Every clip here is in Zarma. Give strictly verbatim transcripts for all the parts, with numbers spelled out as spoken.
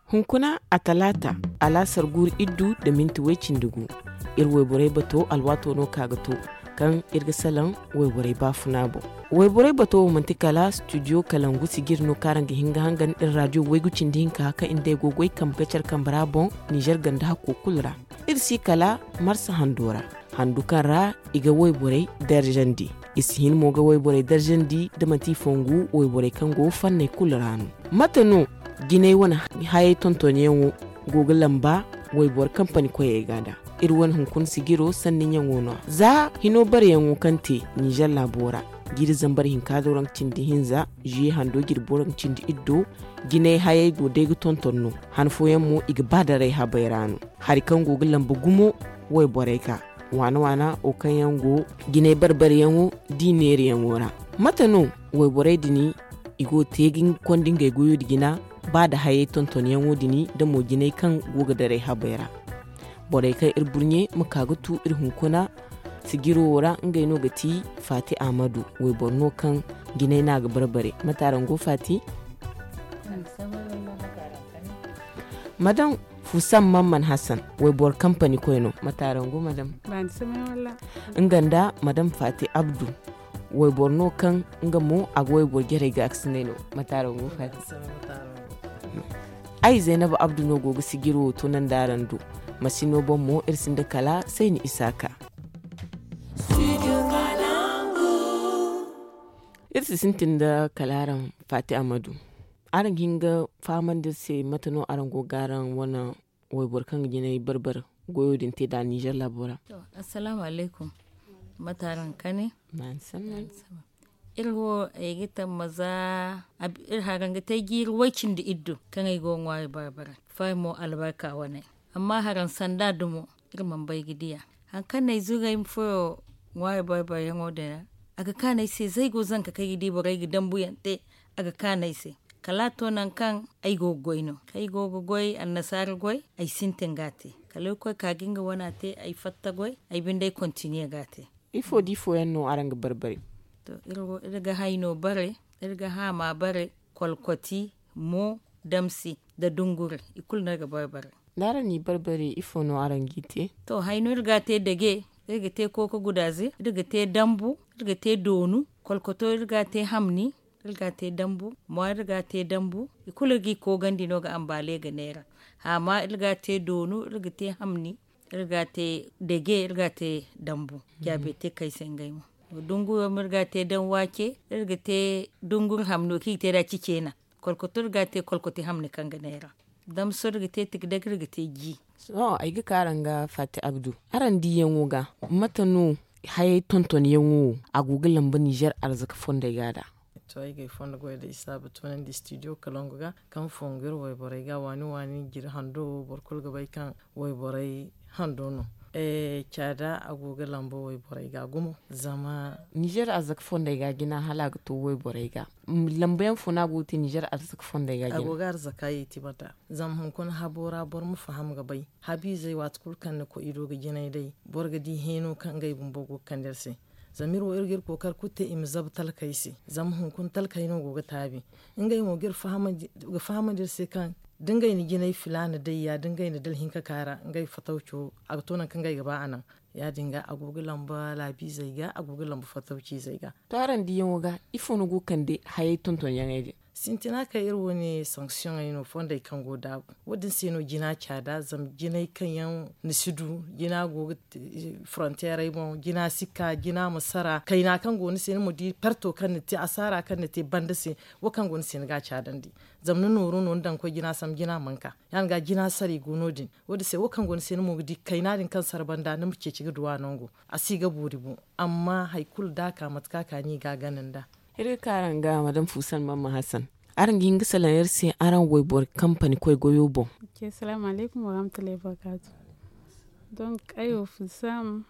Hunkuna a talaata, alaasar guuru iddu nda minti way cindi gu. Iri wayborey bato alwaato no ka ga to, kaŋ iri ga salaŋ wayborey baafuna boŋ. Wayborey bato wo manti kala studio kalangu sijiri no kaŋ araŋ ga hin ga hangan iri raadiyo waygu cindi hinka kaŋ iri day go goy kambe ga care kambe ra boŋ, nizer ganda hakko kulu ra. Iri si kala marsa hando ra, handu kaŋ ra i ga wayborey darjandi. I si hin mo ga wayborey darjandi da manti i fongu wayborey kaŋ go fanney kulu ra no. Mate no jinay wane hayey tontonyaŋo go ga lamba wayboro kampani koyey ga nda? Iri wane hunkuna sijiro sanni ɲaŋo no za hino bareyaŋo kaŋ te nizer laabo ra, jiiri zambar hinka do raŋ cindi hinza, zuye hando jirbo raŋ cindi iddo, jinay hayey go day ga tonton no. Han fooyaŋ mo i ga ba daray habey ra no. Hari kaŋ go ga lamba gumo wayborey ga, waana waana wo kaŋ yaŋ go jinay barbaryaŋo d'i neeriyaŋo ra. Mate no wayborey din i go ga te ga konda ngey goyo din jina, ba nda hayey tontonyaŋo din da mo jinay kaŋ go ga daray habey ra? Borey kaŋ iri burɲe ma ka ga tu iri hunkuna sijiro wo ra, ngey no ga ti faati ahmadu, wayboro no kaŋ jinay no a ga barbare. Mate araŋ go faati? Madam fusan mamman hassan, wayboro kampani koy no. Mate araŋ go madam? Nga nda madam faati abdu, wayboro no kaŋ nga mo a ga wayboro jarey ga a ga sinday no. Mate araŋ go faati? Ay zaynaba abdu no go ga sijiro wo tunandi araŋ do. Masino boŋ mo iri sinda kala sayni isaaka. Iri si sintin da kala araŋ faati amadu, araŋ ga hin ga fahamandi iri se mate no araŋ go ga araŋ wane wayboro kaŋ ga jinay barbar goyo din te nd'a nizer laabo ra? Assalaamu alaykum. Mate araŋ kane? Iri wo ay ga tamma za iri haraŋ ga te jiiri way cindi iddu kaŋ ay go ga ŋwaari barbara fari mo albarka wane. Amma haraŋ sanda dumo iri mana bay ga diya. Hari kaŋ no ay zuru ay ma furo ŋwaari barbarayaŋo din ra, a ga kaanu ay se za ay go zanka kaŋ ay ga di borey ga dambuyaŋ te. A ga kaanu ay se kala a to nangu kaŋ ay go ga goy no kaŋ ay go ga goy annasaara goy. Ay sintin ga a te kala irkoy ka ga nga wana te ay fatta goy ay binde ay kontiniye ga a te. Ifo da ifo yaŋ no araŋ ga barbare? To iri ga hayno bare, iri ga haama bare, kolkoti, mo, damsi, nda dunguri, i kulu no iri ga barbare. Da araŋ n'i barbare ifo no araŋ g'i te? To hayno iri ga a te dage, iri ga te kooka gudaaze, iri ga te dambu, iri ga te doonu, kolkoto iri ga a te hamni, iri ga a te dambu, mo iri ga a te dambu. I kulu iri g'i koogandi no ga ambaale ga neera. Haama iri ga a te doonu, iri ga te hamni, iri ga a te dage, iri ga a te dambu. Jaabe te kay se ngey mo. Dunguro mo iri ga a te daŋ waace, iri ga te dunguri hamno kaŋ i ga te nd'a ciceena. Kolkoto iri ga a te kolkoti hamni kaŋ ga neera. Damso iri ga te tikdag iri ga te ji. Sohõ ay ga ka araŋ ga faati abdu, araŋ diyaŋo ga, mate no hayey tontonyaŋo wo a go ga lamba nizer arzaka fondey ga nd'a? To ay ga ay fondo goy da i saabu tunandi studio kalongo ga kaŋ fongu iri wayborey ga waani waani jiri hando wo boro kulu ga bay kaŋ wayborey hando no. Caada a go ga lamba wayborey ga gumo zama nizer arzaka fondey ga jina hala a ga to wayborey ga. Lamba yaŋ fo no a go ga te nizer arzaka fondey ga jina? A go ga arzaka yeeti banda. Zama hunkuna habo ra boro ma faham ga bay habiizey waati kulu kaŋ ni koy i do ga jinay day, boro ga di heeno kaŋ ngey bumbo go ga kande iri se. Zama iri wo iri ga iri kookari kulu te i ma zabu talkey se. Zama hunkuna talkey no go ga taabi. Ngey mo ga iri fahamandi ga fahamandi iri se kaŋ da ngey na jinay filaana day ya da ngey na dala hinka ka ra ngey fatawco a ga to nangu kaŋ ngey ga ba a naŋ. Ya- din ga a go ga lamba laabiizey ga a go ga lamba fatawciizey ga. To araŋ diyaŋo ga ifo no go ga kande hayey tontonyaŋey din? Sintina kaŋ iri wane sanksiyoŋey no fondey kaŋ go daabu wo- din se no jina caada zama jinay kaŋ yaŋ ni si du jina go ga fronteerey boŋ jina si ka jina ma sara kayna kaŋ go ni se ni ma di parto kaŋ ni te asaara kaŋ ni te banda se. Wo kaŋ go ni se ni ga a caadandi. Zama ni nooru no ni daŋ ga koy jina sambu jina mana ka ya- din ga jina saray go no- din. Wo- din se wo kaŋ go ni se ni mo ga di kayna din kaŋ sara banda ni ma ceeci ga du a nango. A si ga boori boŋ. Amma hari kulu da a ka mate kaŋ a ka no i ga a gana nd'a. Iri ga ka araŋ ga madam fuusan mamma hasan, araŋ ga hin ga salaŋ iri se araŋ wayboro kampani koy goyo boŋ? Salaamu alaykum warahmatullahi wabarakaatu. Donk ay wo fuusam,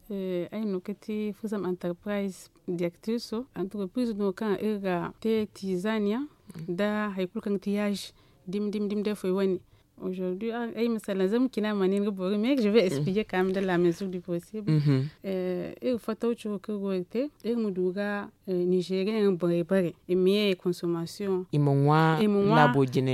ay no ga ti fuusam antarpiriz direktiriso. Antarpiriz no kaŋ iri ga te tiizaan yaŋ nda hari kulu kaŋ ga ti yaazi dimi dimi dimi day foy wane. Aujourd'hui, ay ma salaŋ zama cina ma ne ni ga boori mais je vais expliquer quand même dans la mesure du possible. Iri fatawco kaŋ iri go ga te, iri ma du ga nigerian borey bare i ma ye consommation, i ma ŋwa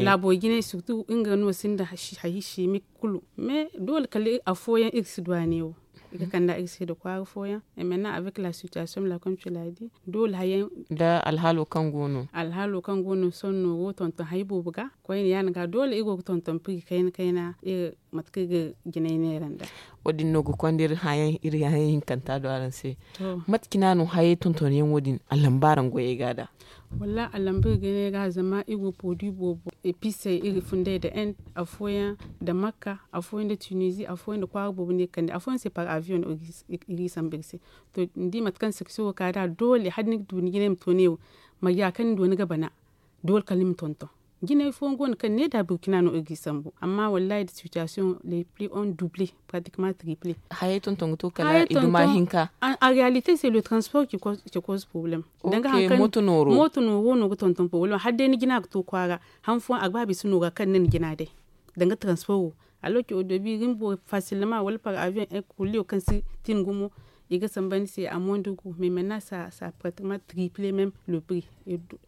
laabo jinay, surtout nga no sinda hari chimique kulu. Mais doole kala afooyaŋ iri si du a ne wo, i ga kanda iri se da kwaara fooyaŋ. Et maintenant avec la situation la comme tu l'as dit, doole hayaŋ da alhaalo kaŋ go no, alhaalo kaŋ go no sohõ nooro tonton hari boobo ga koyne yaadin ga doole iri go ga tonton prix kayna kayna iri mate kaŋ iri ga jinay neera nda. Wo- din no ga konda iri hayaŋ hinkanta do araŋ se. Mate cina no hayey tontonyaŋo din a lamba araŋ goyey ga da? Wallaahi a lamba iri ga ne ga zama iri go produit boobo, epices iri funday nda end, afooyaŋ nda makka, afooyaŋ nda tunisie, afooyaŋ nda kwaara boobo no iri ga kande, afooyaŋ se par avion no iri ga i sambu iri se. To ni di mate kaŋ section wo ka da doole hala ni ga du ni jinay ma to ne wo, marje kaŋ ni du ni ga bana, doole kala ni ma tonton. Jinay fooyaŋ go no kaŋ ne da burkina no iri ga i sambu amma wallaahi da situation les prix ont double, pratiquement triple. Hayey tonton ga to kala i duma hinka. En réalité c'est le transport qui cause problème. Danga hari kaŋ mooto nooro no ga tonton problème hala day ni jina ga to kwaara. Han fooyaŋ a ga ba bisa nooru a kaŋ ni na jina day danga transport wo. Alors que au début iri ma boori facilement wala par avion, kulliyo kaŋ si tin gumo i ga samba ni se a mondi gu mais maintenant ça pratiquement triple même le prix.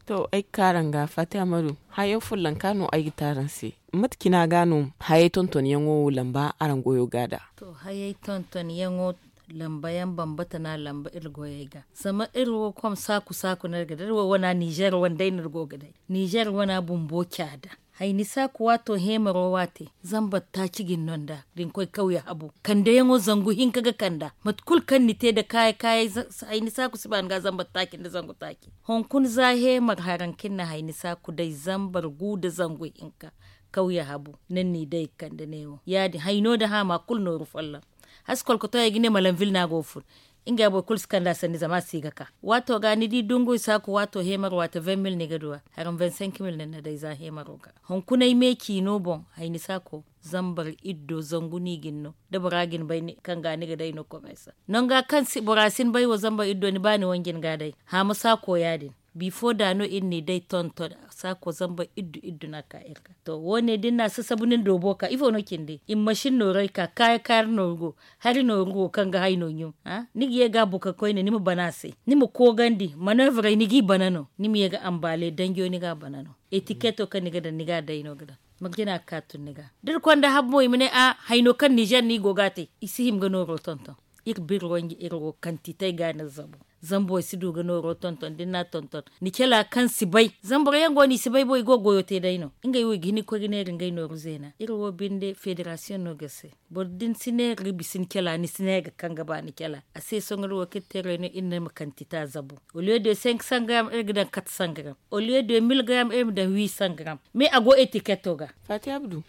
To ay ga ka araŋ ga fati amadu, hayo follanka no ay ga te araŋ se. Mate cina ga no hayey tontonyaŋo wo lamba araŋ goyo ga da? To hayey tontonyaŋo lamba yaŋ bambata no a lamba iri goyey ga. Zama iri wo kom saaku saaku no iri ga da iri wo wana nizer wane day no iri go ga day. Nizer wana bumbo caada. Hayni saaku waato heemaro waate zambar taaci ga ni no nd'a da ni koy kawya habu kandeyaŋo zangu hinka ga kanda. Mate kulu kaŋ ni te nda kaayi kaayey hayni saaku si ba ni ga zambar taaci nda zangu taaci. Hunkuna za heemar haraŋ kaŋ ni na hayni saaku day zambar gu nda zangu hinka kawya habu. Ni na ni day ga kande neewo ya- din hayno nda haama kulu nooru folloŋ. Hasi kolkotoyey ga ne malanvil no a go ga fun. Ngey boro kulu si kand'a sanni zama a si ga ka. Waato ga ni di dunguy saaku waato heemar waate vingt mille ni ga du a. Haraŋ vingt cinq mille no ni na day za heemaro ga. Hunkunay me ciino boŋ hayni saaku zambar iddo zangu no i ga ni no da bora ga ni bay kaŋ ga ni ga day no komersa. Nangu kaŋ bora si ni bay wo zambar iddo ni ba ni wanji ni ga a day. Haama saako ya- din. Bifo da no iri n'i day tonton saako zambar iddu iddu no a ka iri ga. To wo- ne da ni na a sasabu ni na doobo ka ifo no cindi i ma masin nooray ka kaayi kaari nooru go. Hari nooru go kaŋ ga hayno ɲum. Ni ga ye ga a buka koyne ni ma bana a se ni ma koogandi maneevrey ni g'i bana no. Ni ma ye ga ambaale danjo ni ga a bana no. Etiketo kaŋ ni ga daŋ ni ga a day no ga daŋ. Marje no a ga ka tun ni ga da iri konda habu mo i ma ne a hayno kaŋ nizer no i go ga a te. I si hima ga nooro tonton. Iri biri wanji iri wo kantitey ga no iri zabu. Zama boro si du ga nooro tonton da ni n'a tonton ni cala kaŋ si bay zama boro yaŋ go no i si bay bo i go ga goyo te day no. Ngey wo i ga hin ga koy ga neera ngey nooru zeena iri wo binde federasiyoŋ no ga se. Boro da ni si neera ga bisa ni cala ni si ne ga kaŋ ga ba ni cala a se sohõ iri wo kaŋ iri te reeno iri ne ma kantita zabu. Au lieu de cinq cent gram iri ga daŋ quatre cent gram au lieu de mille gram iri ma daŋ huit cent gram. Mais a go etiketo ga. Fati abdu,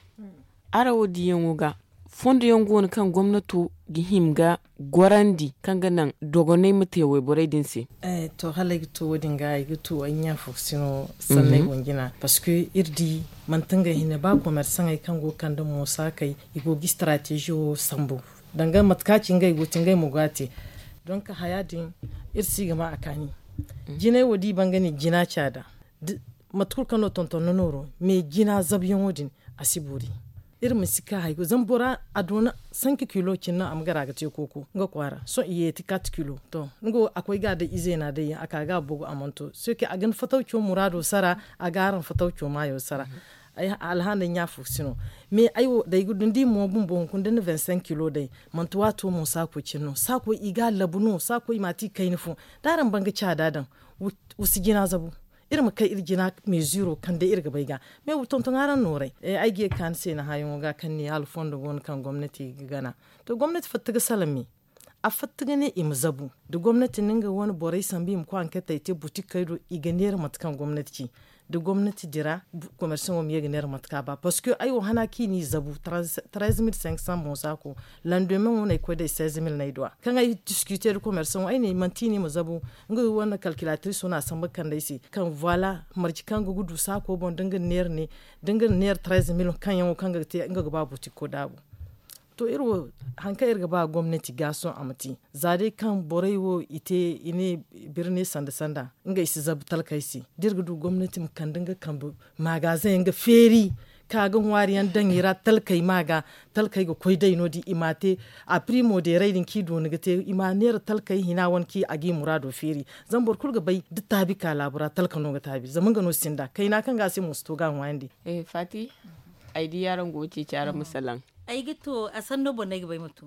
araŋ wo diyaŋo ga fondo yaŋ go no kaŋ gomnato ga hima ga gorandi kaŋ ga naŋ dogonay ma te wayborey din se? To hala ay ga to wo- din ga ay ga to ay ɲa fo ga sino sanney boŋ jina parce que iri di manti ngey hinne ba komersaŋey kaŋ go ga kande moosa kay i go ga strateži wo sambu. Danga mate kaŋ a ci ngey go ga te ngey ma go a te. Donk haya din iri si ga ma a kaani. Jinay wo da i ban ga ne jina caada. Mate kulu kaŋ no tonton na nooro mais jina zabuyaŋo din a si boori. Iri ma si ka hari kulu zama bora a doona cinq kilo cine no a ma gara ga te kooko nga kwaara sohõ i yeeti quatre kilo to. Nga wo a koy ga a day izeena day yaŋ a ka ga a bogu a mana to sohõ a ga ni fatawco muraado sara. A ga araŋ fatawco maayo sara. Alhaanday ɲa fo si no. Mais ay wo da ay ga du ni di mo bumbo hunkuna da ni na vingt cinq kilo day manti waato mo saako cine no saako i ga a labu no saako i ma a te i kayna fo. Da araŋ ban ga caada daŋ wa si jina zabu. Iri ma kay iri jina meeziro kaŋ day iri ga bay ga. Mais wa tonton araŋ nooray ay ga ye ga ka ni se ni hããyaŋo ga kaŋ ni hala fondo go no kaŋ gomnati ga gana. To gomnati fatta ga salaŋ me. A fatta ga ne i ma zabu da gomnati na nga wane borey sambu i ma koy anketey te butikey do i ga neera mate kaŋ gomnati ci. Da gomnati dira komersaŋo ma ye ga neera mate kaŋ a ba parceque ay wo hana kaŋ i n'i zabu. Treize mille cinq cents mo saako landomeŋo no ay koy day seize mille no ay du a kaŋ ay discuter da komersaŋo ay ne manti i ne i ma zabu. Nga wane kalkilatriso no a sambu ga kande ay se kaŋ voila marje kaŋ nga ga du saako boŋ da nga na neera ne da nga na neera treize mille kaŋ yaŋo kaŋ nga ga te nga ga ba butiko daabu. To iri wo hari kaŋ iri ga ba gomnati ga sohõ a ma te za day kaŋ borey wo i te i ne birni sanda sanda ngey si zabu talkey se da iri ga du gomnati ma kande nga kambe magazeŋ yaŋ ga feeri. Ka ga ŋwaari yaŋ daŋ i ra talkey ma ga talkey ga koy day no- din i ma a te. A primo deeray din kaŋ i dooni ga te i ma a neera talkey hina wane kaŋ a ga i muraado feeri. Zama boro kulu ga bay da taabi ka laabu ra talka no ga taabi zama nga no sinda kayna kaŋ ga a se mo si to ga a ŋwaayandi. Faati, ay di araŋ go ga ceeci araŋ ma salaŋ. Ay ga to a sanno boŋ no ay ga bay ma to.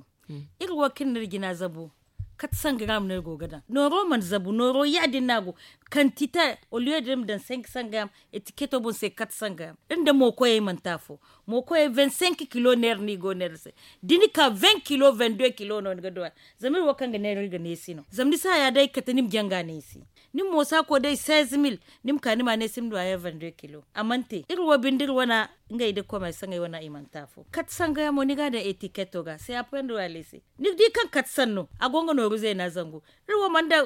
Iri wo kaŋ ni iri jina zabu, kate sangaram no iri go ga daŋ nooro mana zabu nooro ya- din no a go. Kantite, oliyo da ni ma daŋ senki sangaram, etiketo boŋ se kate sangaram. Iri nda mookoyey mana te afo. Mookoyey vingt cinq kilo neera no i go ga neera se. Da ni ka vingt kilo vingt deux kilo no ni ga du a. Zama iri wo kaŋ ga neera iri ga neesi no zama ni si haya day kate ni ma jaŋ ga neesi. Ni ma moosa ko day seize mille, ni ma ka ni ma a neesi ni ma du a ya vingt deux kilo a mana te iri wo binde iri wana. Ngey da komersaŋey wana i mana te afo kate sangaram mo ni ga a daŋ etiketo ga se a puyandi wala i se. Ni ga di kaŋ kate sanno a go nga nooru zeena zangu. Iri wo mana daŋ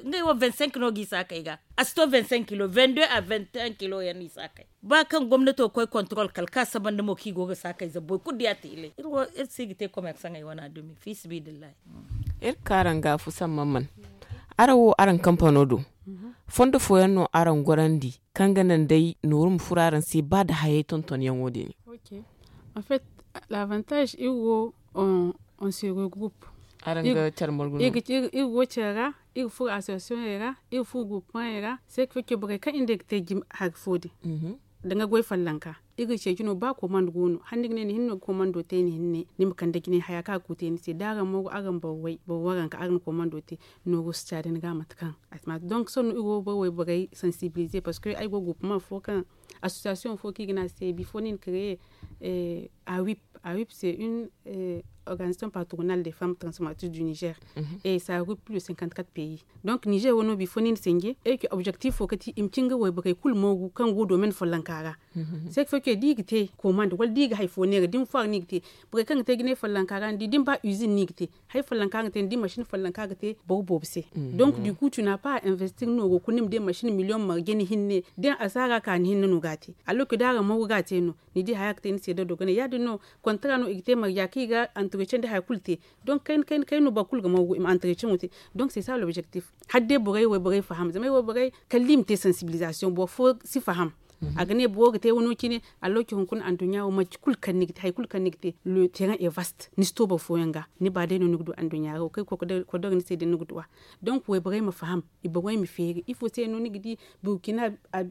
ngey wo vingt cinq no ga i saakey ga. A si to vingt cinq kilo vingt deux a vingt un kilo yaŋ no i saakey. Ba kaŋ gomnato ga koy kontorol kala ka saba nda mo kaŋ i go ga saakey zabu boro kulu di a tiilay iri wo iri si ga te komersaŋey wana dumi fi sabiilillahi. Iri ga ka araŋ ga fu samman man araŋ wo araŋ kampano do. Fondo fooyaŋ no araŋ gorandi kaŋ ga naŋ day nooru ma furo araŋ se ba nda hayey tontonyaŋo din. An fet, l'avantage iri wo on se regroup. Iri go care ra iri furo association ra iri furo groupement ra se ka fake borey kaŋ iri day ga te jim hari fo din. Da nga goy fallanka iri ga ceeci no ba komando go no hala ni ga ne ni hinne no ga komando te ni hinne ni ma kande jinay haya kaŋ a ga koy te ni se da araŋ mooru araŋ boro way boro waranka araŋ na komando te. Nooru si caadi ni ga mate kaŋ a si ma donc sohõ no iri go ga boro wayborey sensibiliser parce que ay go ga gurpuma fo kaŋ association fo kaŋ i ga ne a se bifo no i na créer. A wip a wip c'est une organisation patronale des femmes transformatrices du niger. Et ça a groupe plus de cinquante quatre pays. Donc niger wano bifo no i na sanje eke objectif fo kati i ma ci nga wayborey kulu mooru kaŋ go domaine follonka ra. C'est que fo ke da i ga te commande wala da i ga hari fo neera da ni foire no i ga te. Borey kaŋ ga te jinay follonka ra ni di da ni ba usine no i ga te. Hari follonka ga te ni di machine follonka ga te boro boobo se. Donc du coup tu n'as pas à investir nooru kulu ni ma di machine million marje ni hinne da ni asaara ka ni hinne no ga a te. Alors que da araŋ mooru ga a te no ni di haya ga te ni se da dogonay ya- din no. Contrat no i ga te marja kaŋ i ga entretien da hari kulu te. Donc kayna kayna kayna no boro kulu ga mooru i ma entretien wo te. Donc c'est ça l'objectif. Hala day borey wayborey faham zama ay wayborey kala da i ma te sensibilisation boro fo si faham. A ga ne boro ga te wano cine. Alloki hunkuna anduɲɲa wo manti kulu kaŋ ni ga te hari kulu kaŋ ni ga te le terrain est vaste ni si to boro fooyaŋ ga. Ni ba day no ni ga du anduɲɲa ra wo kaŋ ga koy ga dora ni se day ni ga du a. Donc wayborey ma faham i boŋey ma feeri ifo se no ni ga di burkina,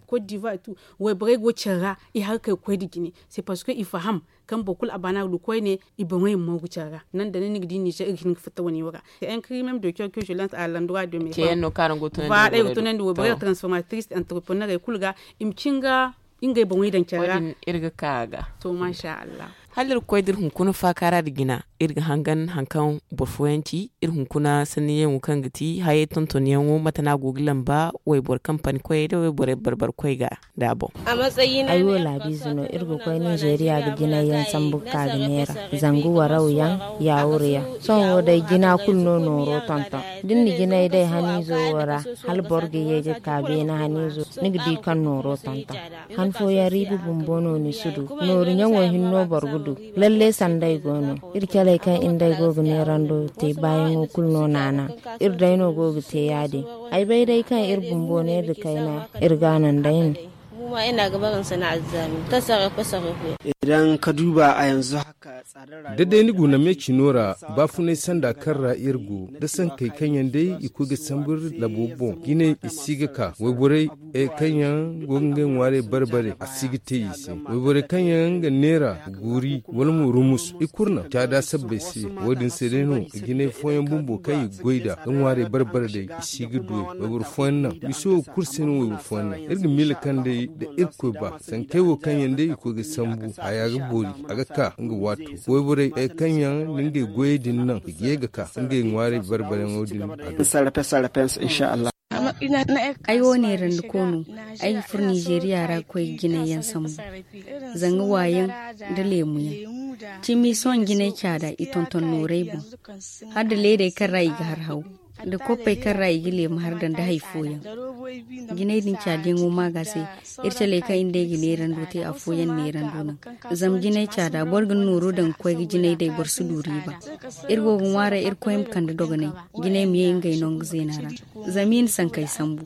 côte d'ivoire et tout. Wayborey go care ra i harakey ga koy nda jine. C'est parce que i faham kaŋ boro kulu a baana ga du koyne i boŋey ma mooru care ra. Naŋ da naŋ ni ga di nizer iri ga hin ga fatta wane wo ra. C'est un cri même de cœur que je lance à l'endroit de mes femmes. Voilà ay ga tunandi wayborey transformatrice entrepreneurey kulu ga i ma ci nga ngey boŋey daŋ care ra. Iri ga ka a ga to masha allah. Hala iri ga koy da iri hunkuna faakaara nda jina iri ga hangan hari kaŋ boro fooyaŋ ci. Iri hunkuna sanniyaŋo kaŋ ga ti hayey tontonyaŋo mate no a go ga lamba wayboro kampani koyey nda wayborey bar-bar koy ga nda a boŋ. Ay wo laabiize no iri ga koy ninzeeriya ga jinay yaŋ sambu ga ka ga neera zangu waraw yaŋ. Yaawur yaŋ sohõ wo day jina kulu no nooro tonton. Da ni na jinay day haniizo wo ra hala boro ga ye ga ka beene haniizo ni ga di kaŋ nooro tonton. Han fooyaŋ riibi bumbo no ni si du. Nooru ɲaŋo hinno boro ga du. Lalle sanday go no. Iri caley kaŋ iri nd'ey go ga neerando te baayaŋo kulu no naana. Iri day no go ga te ya- din. Ay bay day kaŋ iri bumbo neera kayna iri ga a naŋ day no. Idan ka duba a yanzu haka tsadar rayuwa da day ni guna me cino ra baafunay sanda kaŋ ra iri go da sankey kaŋ yaŋ day i koy ga sambu iri labo boŋ jinay i si ga ka wayborey kaŋ yaŋ go ga ngey ŋwaarey bare-bare a si ga te i se. Wayborey kaŋ yaŋ ga neera guuri wala mo rumus i kulu naŋ caada sabbay se. Wo- din se day no jinay fooyaŋ bumbo kaŋ i ga goy nd'a ga ŋwaarey bare-bare day i si ga du. Wayboro fooyaŋ naŋ miso wo kulu se no wayboro fooyaŋ naŋ iri ga miila kaŋ day da irkoy ba sankey wo kaŋ yaŋ day i koy ga sambu haya ga boori a ga ka nga waato. Wayborey kaŋ yaŋ da ngey goyey din naŋ i ga ye ga ka ngey ŋwaarey bare-bareyaŋo din a do. Ay wo neerandi ko no. Ay ga furo nizeeriya ra ga koy ga jinay yaŋ sambu zanga waayaŋ nda leemu yaŋ. Cimi sohõ jinay caada i tonton nooray boŋ hala nda leedey kaŋ ra i ga har haw nda koppey kaŋ ra i ga leemu har daŋ nda hari fooyaŋ. Jinay din caadiyaŋo ma ga se iri caley kaŋ iri nd'ey ga neerando te afooyaŋ neerando naŋ. Zama jinay caada boro ga ni nooro daŋ ga koy ga jinay day boro si du riiba. Iri go ga ŋwaaray iri koy ma kande dogonay jinay ma ye ngey nangu zeena ra. Zama i na sankey sambu.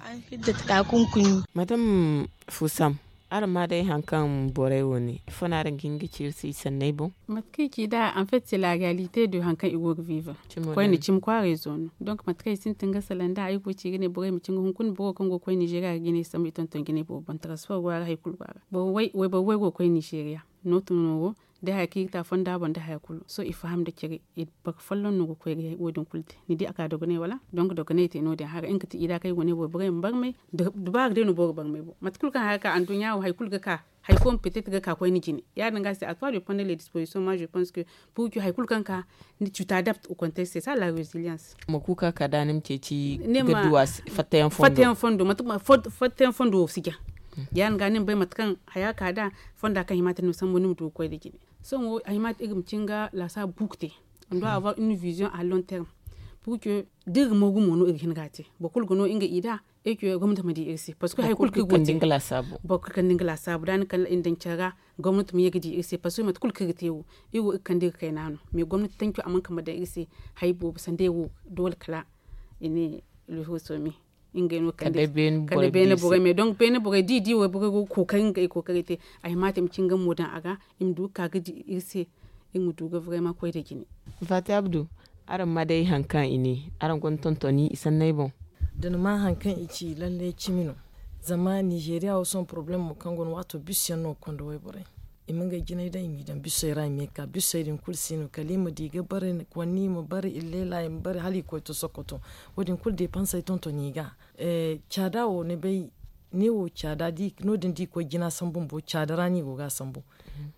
Madam fusam, Araŋ ma day hari kaŋ borey wo ne ifo no araŋ ga hin ga ci iri se i sanney boŋ? Mate kaŋ i ci nd'a en fait c'est la réalité de hari kaŋ i go ga viva. Koyne cimi kwaaray zo no. Donc mate kaŋ i sintin ga salaŋ nd'a ay go ga ci ga ne borey ma ci nga hunkuna boro kaŋ go ga koy nizeeriya ga jinay sambu i tonton jinay boobo boŋ transfer go a ra hari kulu go a ra. Wayboro way go ga koy nizeeriya nooto no wo. Da haya kaŋ i ga te a fonda boŋ da haya kulu sohõ i faham nda care. Boro folloŋ no ga koy ga wo- din kulu te ni di a ka dogonay wala? Donk dogonay te no- din haray nga ga te i da kaŋ i go ne boro borey ma barmay. Dubaara day no boro ga barmay boŋ mate kulu kaŋ haya ka anduɲɲa wo hari kulu ga ka hari fo ma petet ga ka koy ni jine. Ya- din ga se a toi de pondre les dispositions moi je pense que pour que hari kulu kaŋ ka ni tu t'adapte au contexte c'est ça la resilience. Ma kuuka ka da ni ma ceeci ga duwa fattayaŋ fondo. Fattayaŋ fondo wo si jaŋ. Ya- din ga ni ma bay mate kaŋ haya ka da fonda kaŋ hima te ni ma sambu ni ma du ga koy nda jine. Sohõ wo a hima te iri ma cin ga laasaabu bu ga te. On doit avoir une vision à long terme. Pour que da iri ga moogu mo no iri ga hin ga a te boro kulu ga no nga i da. Et que gomnati ma di iri se parce que hari kulu kaŋ iri go ga te boro kulu kaŋ ni nga laasaabu da ni kala i na daŋ care ra. Gomnati ma ye ga di iri se parce que mate kulu kaŋ iri ga te wo iri wo iri kande iri kayna no mais gomnati tanco a mana kambe daŋ iri se. Hari boobo sanday wo doole kala i ne luhuso me. Ngey no kande beene borey me donc beene borey da i di wayborey go ga kookari nga i kookaray te. A hima te i ma ci nga mo daŋ a ga i ma du ga ka ga di iri se. Iri ma du ga vraiment koy nda jine. Faati abdu, araŋ ma day hari kaŋ i ne araŋ gonda tontoni i sanney boŋ? Da ni ma hari kaŋ i ci lalle cimi no. Zama nizeeriya wo sohõ porobalem mo kaŋ go no waato bis yaŋ no ga konda wayborey. I ma ngey jinay daŋ i m'i daŋ bisey ra i ma ye ga ka bisey din kulu si no kala i ma di ga bare. Konni i ma bare illeela i ma bare hala i koy to sokoto. Wo- din kulu depansey tonton i ga. Caada wo ni bay ne wo caada no- din da i koy jina sambu bumbo caada ra no i go ga a sambu.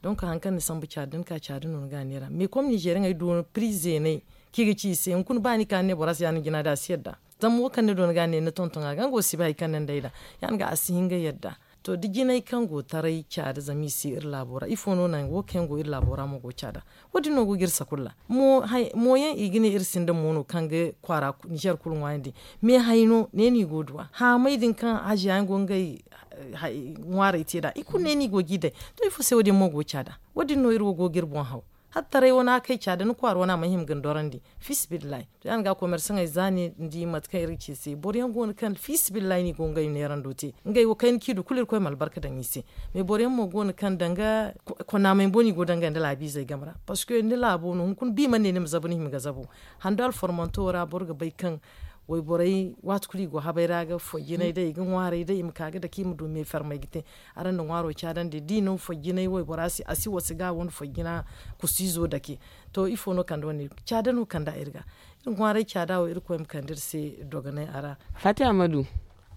Donk hari kaŋ ni sambu caada da ni ka caada no ni ga a neera mais kom nizeeriyaŋey du piri zeeney kaŋ i ga ci i se hunkuna ba ni ka ni ne bora se ya- din jina day a si yadda. Zama wo kaŋ ni du ni ga a ne ni tonton a ga nga wo si bay hari kaŋ ni nda ay daŋ. Ya- din ga a si hin ga yadda. To da jinay kaŋ go taray caada zama i si iri laabo ra ifo no naŋ wo kaŋ yaŋ go iri laabo ra mo go caada. Wo- din no go ga iri sakulla. Mo yaŋ i ga ne iri sinda mo no kaŋ ga kwaara nizer kulu ŋwaayandi. Me hay no ne no i go ga duw'a haamay din kaŋ haziya yaŋ go ga ngey ŋwaaray te nd'a i kulu ne no i go ga i day. To ifo se wo- din mo go ga caada? Wo- din no iri wo go ga iri boŋ haw. Hala taray wane a kay caada ni kwaara wane a mana hima ga ni dorandi. Fiisabilillahi. To ya- din ga komersaŋey za ni di mate kaŋ iri ga ci i se boro yaŋ go no kaŋ fiisabilillahi no i go ga ngey neerando te. Ngey wo kayna kaŋ i du kulu irkoy ma albarka daŋ i se. Mais boro yaŋ mo go no kaŋ danga konaamey boŋ no i go ga daŋ ngey nda laabiizey game ra. Parceque ni laabo no hunkuna ba i mana ne ni ma zabu ni hima ga zabu. Hando alformanto ra boro ga bay kaŋ wayborey waati kulu i go habay ra ga foy jinay day i ga ŋwaaray day i ma ka ga dake i ma du me fermay ga te. Araŋ na ŋwaaro caadandi da i naŋ foy jinay waybora se a si wasa ga wanda foy jina kusiizo dake. To ifo no kande wane caada no kande a iri ga. Iri ŋwaaray caada wo irkoy ma kande iri se dogonay a ra. Faati ammadu,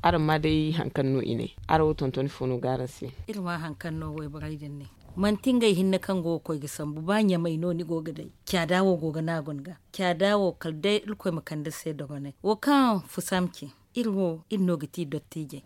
araŋ ma day hari kaŋ no i ne araŋ wo tonton ifo no ga araŋ se? Iri ma hari kaŋ no wayborey din ne manti ngey hinne kaŋ go ga koy ga sambu ba ɲamay no ni go ga day. Caada wo go ga naagu ni ga caada wo kala day irkoy ma kande iri se dogonay wo kaŋ fusamce. Iri wo iri no ga ti dottiijey.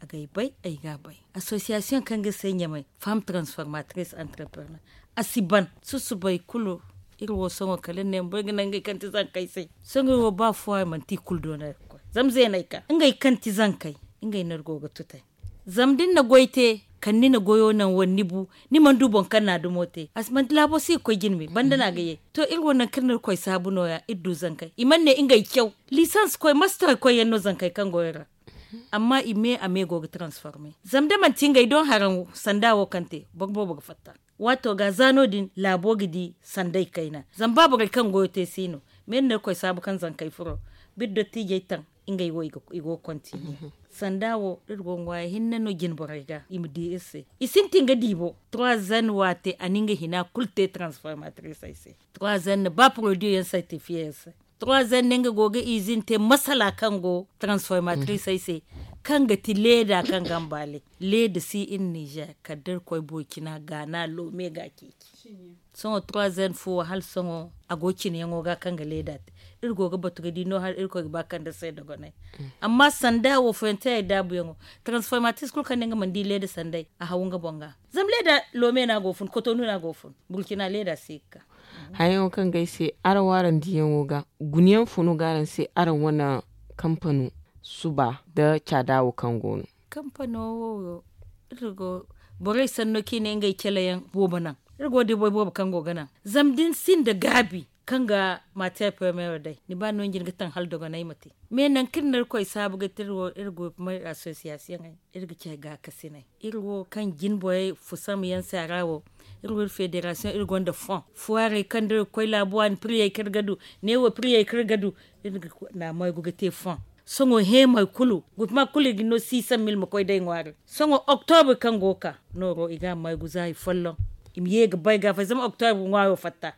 Agay bay ay ga bay. Association kaŋ ga se ɲamay femme transformatrice entrepreneur a si ban susubay kulu. Iri wo sohõ kala iri ne ma bay ga naŋ ngey kaŋ ti zankey se. Sohõ iri wo ba fuwa manti i kulu do no iri ga koy zama zeeney ka ngey kaŋ ti zankey. Ngey no iri go ga tutay. Zama da ni na goy te kala ni na goyo naŋ wala ni bu ni mana du boŋ kaŋ na a dumo te a si manti laabo si ga koy jine me banda no a ga ye. To iri wo naŋ kaŋ iri na iri koy saabu no- ya iri du zankey i mana ne ngey caw lisans koy mastar koy yaŋ no zankey kaŋ go iri ra. Amma i me a me go ga transforme zama da manti ngey doŋ haraŋ sanda wo kaŋ te boro boobo ga fatta. Waato ga za no- din laabo ga di sandey kayna. Zama ba borey kaŋ goyo te si no. Me iri na iri koy saabu kaŋ zankey furo biri dottiijey taŋ ngey wo i go ga kontiniye. Sanda wo iri go ga ŋwaaya hinne no jine borey ga i ma di iri se. I sintin ga di bo trois zen waate a na nga hina kulu te transformatriisey se. Trois zen na ba porodiyo yaŋ sertifiye iri se. Trois zen na nga go ga izin te masala kaŋ go transformatriisey se kaŋ ga ti leeda kaŋ ga mbaale. Leeda si iri nizer kala da iri koy burkina gaana loome ga a ceeci. Sohõ trois zen fo hala sohõ a go cinayaŋo ga kaŋ ga leeda te. Iri go ga batu ga di no hala iri koy ga ba kande se dogonay. Amma sanda wo foyonte ay daabuyaŋo transformatrice kulu kaŋ ne nga mana di leeda sanday a haw nga boŋ ga. Zama leeda loome no a go fun kotonu no a go fun burkina leeda si ga ka. Hayaŋo kaŋ ga ay se araŋ wo araŋ diyaŋo ga guna yaŋ fo no ga araŋ se araŋ wane kampano suba nda caada wo kaŋ go no? Kampano wo iri go borey sanno kaŋ i ne ngey calayaŋ boobo naŋ. Iri go da boro boobo kaŋ go ga naŋ zama da ni sinda gaabi kaŋ ga matière première day, ni ba no ni jin ga taŋ hala dogonay ma te. Mais nangu kaŋ iri na irkoy saabu ga te iri wo iri goy kuma iri association iri ga ci ay gaakasinay. Iri wo kaŋ jin borey fusam yaŋ se a ra wo, iri wo iri fédération iri gonda fond foirey kaŋ da iri ga koy laabu waani priyey kaŋ iri ga du, neewo priyey kaŋ iri ga du, iri ga na maygu ga te fond. Sohõ heemay kulu, gurpuma kulu i ga no six cent mille ma koy day ŋwaari. Sohõ octobre kaŋ go ga ka nooro i ga a maygu za i folloŋ, i ma ye ga bay ga fay zama octobre ŋwaaro fatta.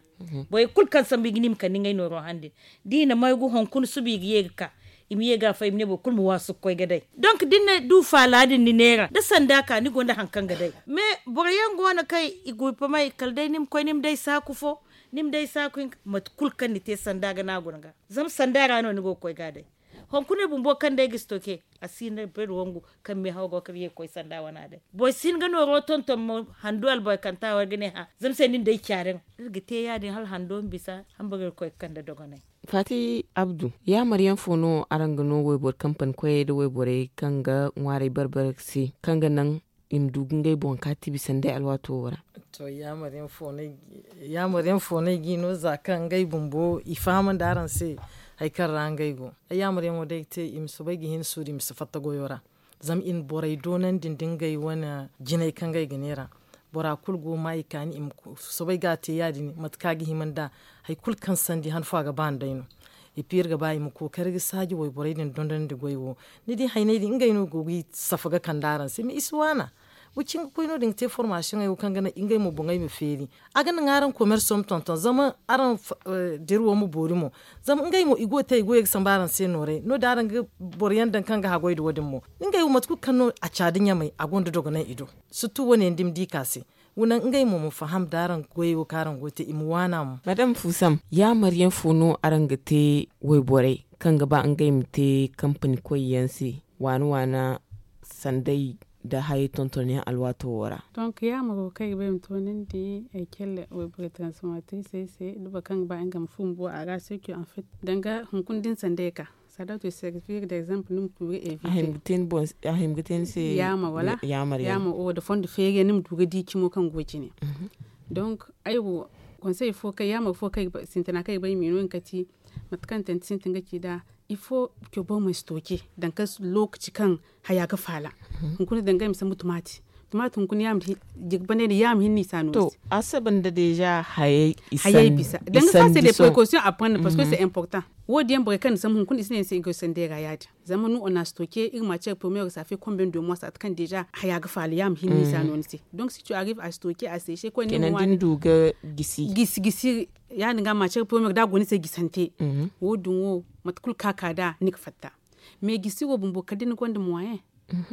Borey kulu kaŋ sambu i ga ni ma kande ngey nooro handi, da i na maygu hunkuna suba i ga ye ga ka, i ma ye ga fay i ma ne boro kulu ma waasu ga koy ga day. Donc da ni na du faala din ni neera da sanda ka ni gonda hari kaŋ ga day. Mais boro yaŋ go no kaŋ i gurpumay kala day ni ma koy ni ma day saaku fo, ni ma day saaku hinka mate kulu kaŋ ni te sanda ga no a guna ga. Zama sanda ra no ni go ga koy ga a day. Hunkuna bumbo kaŋ day ga stoke a si hin da bari wangu kaŋ meehaw go ga ye ga koy sanda wana day. Boro si hin ga nooro tonton mo hando albarkanta wara ga ne hã zama se nin day caariŋ. Iri ga te ya- din hala hando ma bisa hambara iri ga koy ga kande dogonay. Faati abdu, yaamar yaŋ fo no araŋ ga no wayboro kampani koyey nda wayborey kaŋ ga ŋwaaray barbara se kaŋ ga naŋ i ma du ga ngey boŋ ka tibi sanday alwaato wo ra? To yaamar yaŋ fo no ay ga i no za kaŋ ngey bumbo i fahamandi araŋ se hari kaŋ ra ngey go. Ay yaamar yaŋo day ga te i ma soobay ga hin suuru i ma si fatta goyo ra. Zama i na borey doonandi nda ngey wane jinay kaŋ ngey ga neera. Bora kulu go ma i kaani i ma soobay ga a te ya- din mate kaŋ a ga hima nd'a. Hari kulu kaŋ sandi han fo a ga ba nd'ay no. Iri ga ba i ma kookari ga saaji wayborey din dondonandi goy wo. Ni di hayney din ngey no go ga i safa ga kande araŋ se mais i si waana. Wa cin ga koy no- din ga te formasiyoŋey wo kaŋ ga naŋ ngey mo boŋey ma feeri. A ga naŋ araŋ komerso ma tonton zama araŋ dira wo ma boori mo. Zama ngey mo i go ga te i goyey ga sambu araŋ se nooray no- din araŋ ga boro yaŋ daŋ kaŋ ga haggoy nda wo- din mo. Ngey wo mate kulu kaŋ no a caadi ɲamay a gonda dogonay i do. Sirtu wo- ne yaŋ da ni ma di ka se. Wa naŋ ngey mo ma faham da araŋ goyey wo kaŋ araŋ go ga te i ma waana mo. Madam fuusam, yaamar yaŋ fo no araŋ ga te wayborey kaŋ ga ba ngey ma te kampani koy yaŋ se waana waana sanday nda hayey tonton yaŋ alwaato wo ra? Donk yaamaro kaŋ ay ga ba ay ma toonandi ay celle wayborey transformatriisey se da boro kaŋ ga ba nga ma furo bumbo a ra se ke en fait danga hunkuna da ni sanday ka saada to servir da exemple ni ma tuuri evite. A hima ga te ni se yaamar wala yaamar yaŋ yaamar wo da fondo feeri yaŋ ni ma du ga di cimo kaŋ go cine. Donk ay wo konsey fo kaŋ yaamar fo kaŋ ay ga ba sintina kaŋ ay ga ba ay ma i no nga kati mate kaŋ tante sintin ga ci nd'a. Ifo ke boro ma si tooke danga lookaci kaŋ haya ga faala. Hunkuna danga ay ma sambu tumaati tumaati hunkuna yaama jirbi banday no yaama hinne i si a no to a saba nda deeza hayey bisa danga sa se de precaution a prendre parce que c'est important. Wo- din yaŋ borey kaŋ na sambu hunkuna i si ne ni se i ga sandey ra ya- din zama no on a si tooke iri ma care premier ga safe konben de mois saate kaŋ deeza haya ga faala yaama hinne i si a no ni se. Donc si tu arrive a si tooke a seese koy ne mo waani gisi gisi ya- din ga ma care premier da a go ni se gisante. Wo- din wo mate kulu kaŋ a ka nd'a ni ga fatta. Mais gisi wo bumbo kala da ni gonda moyen.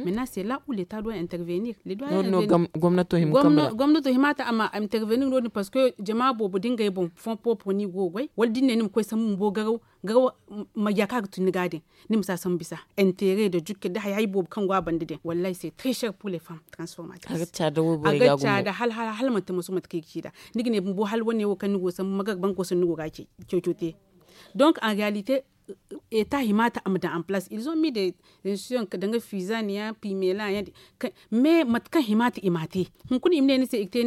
Maintenant c'est là où l'état doit intervenir. Gomnato hima ta a ma intervenir no- din parce que jama boobo da ngey boŋ fond propre no i go ga goy wala da ni ne ni ma koy sambu bumbo garaw garaw. Marja kaŋ a ga tun ni ga din ni ma si a sambu bisa intérêt da jukke da hay hay boobo kaŋ go a banda din wallahi c'est très cher pour les femmes transformatrices. A ga caada hala hala manti maso mate kaŋ i ga ci nd'a. Ni ga ne bumbo hala wane wo kaŋ ni go sambu magar banko se no ni go ga a ceeco te. Donc en réalité état hima ta a ma daŋ en place ils ont mis des institutions danga fizaniya pimela yaŋ. Mais mate kaŋ hima ta i m'a te hunkuna i ma ne ni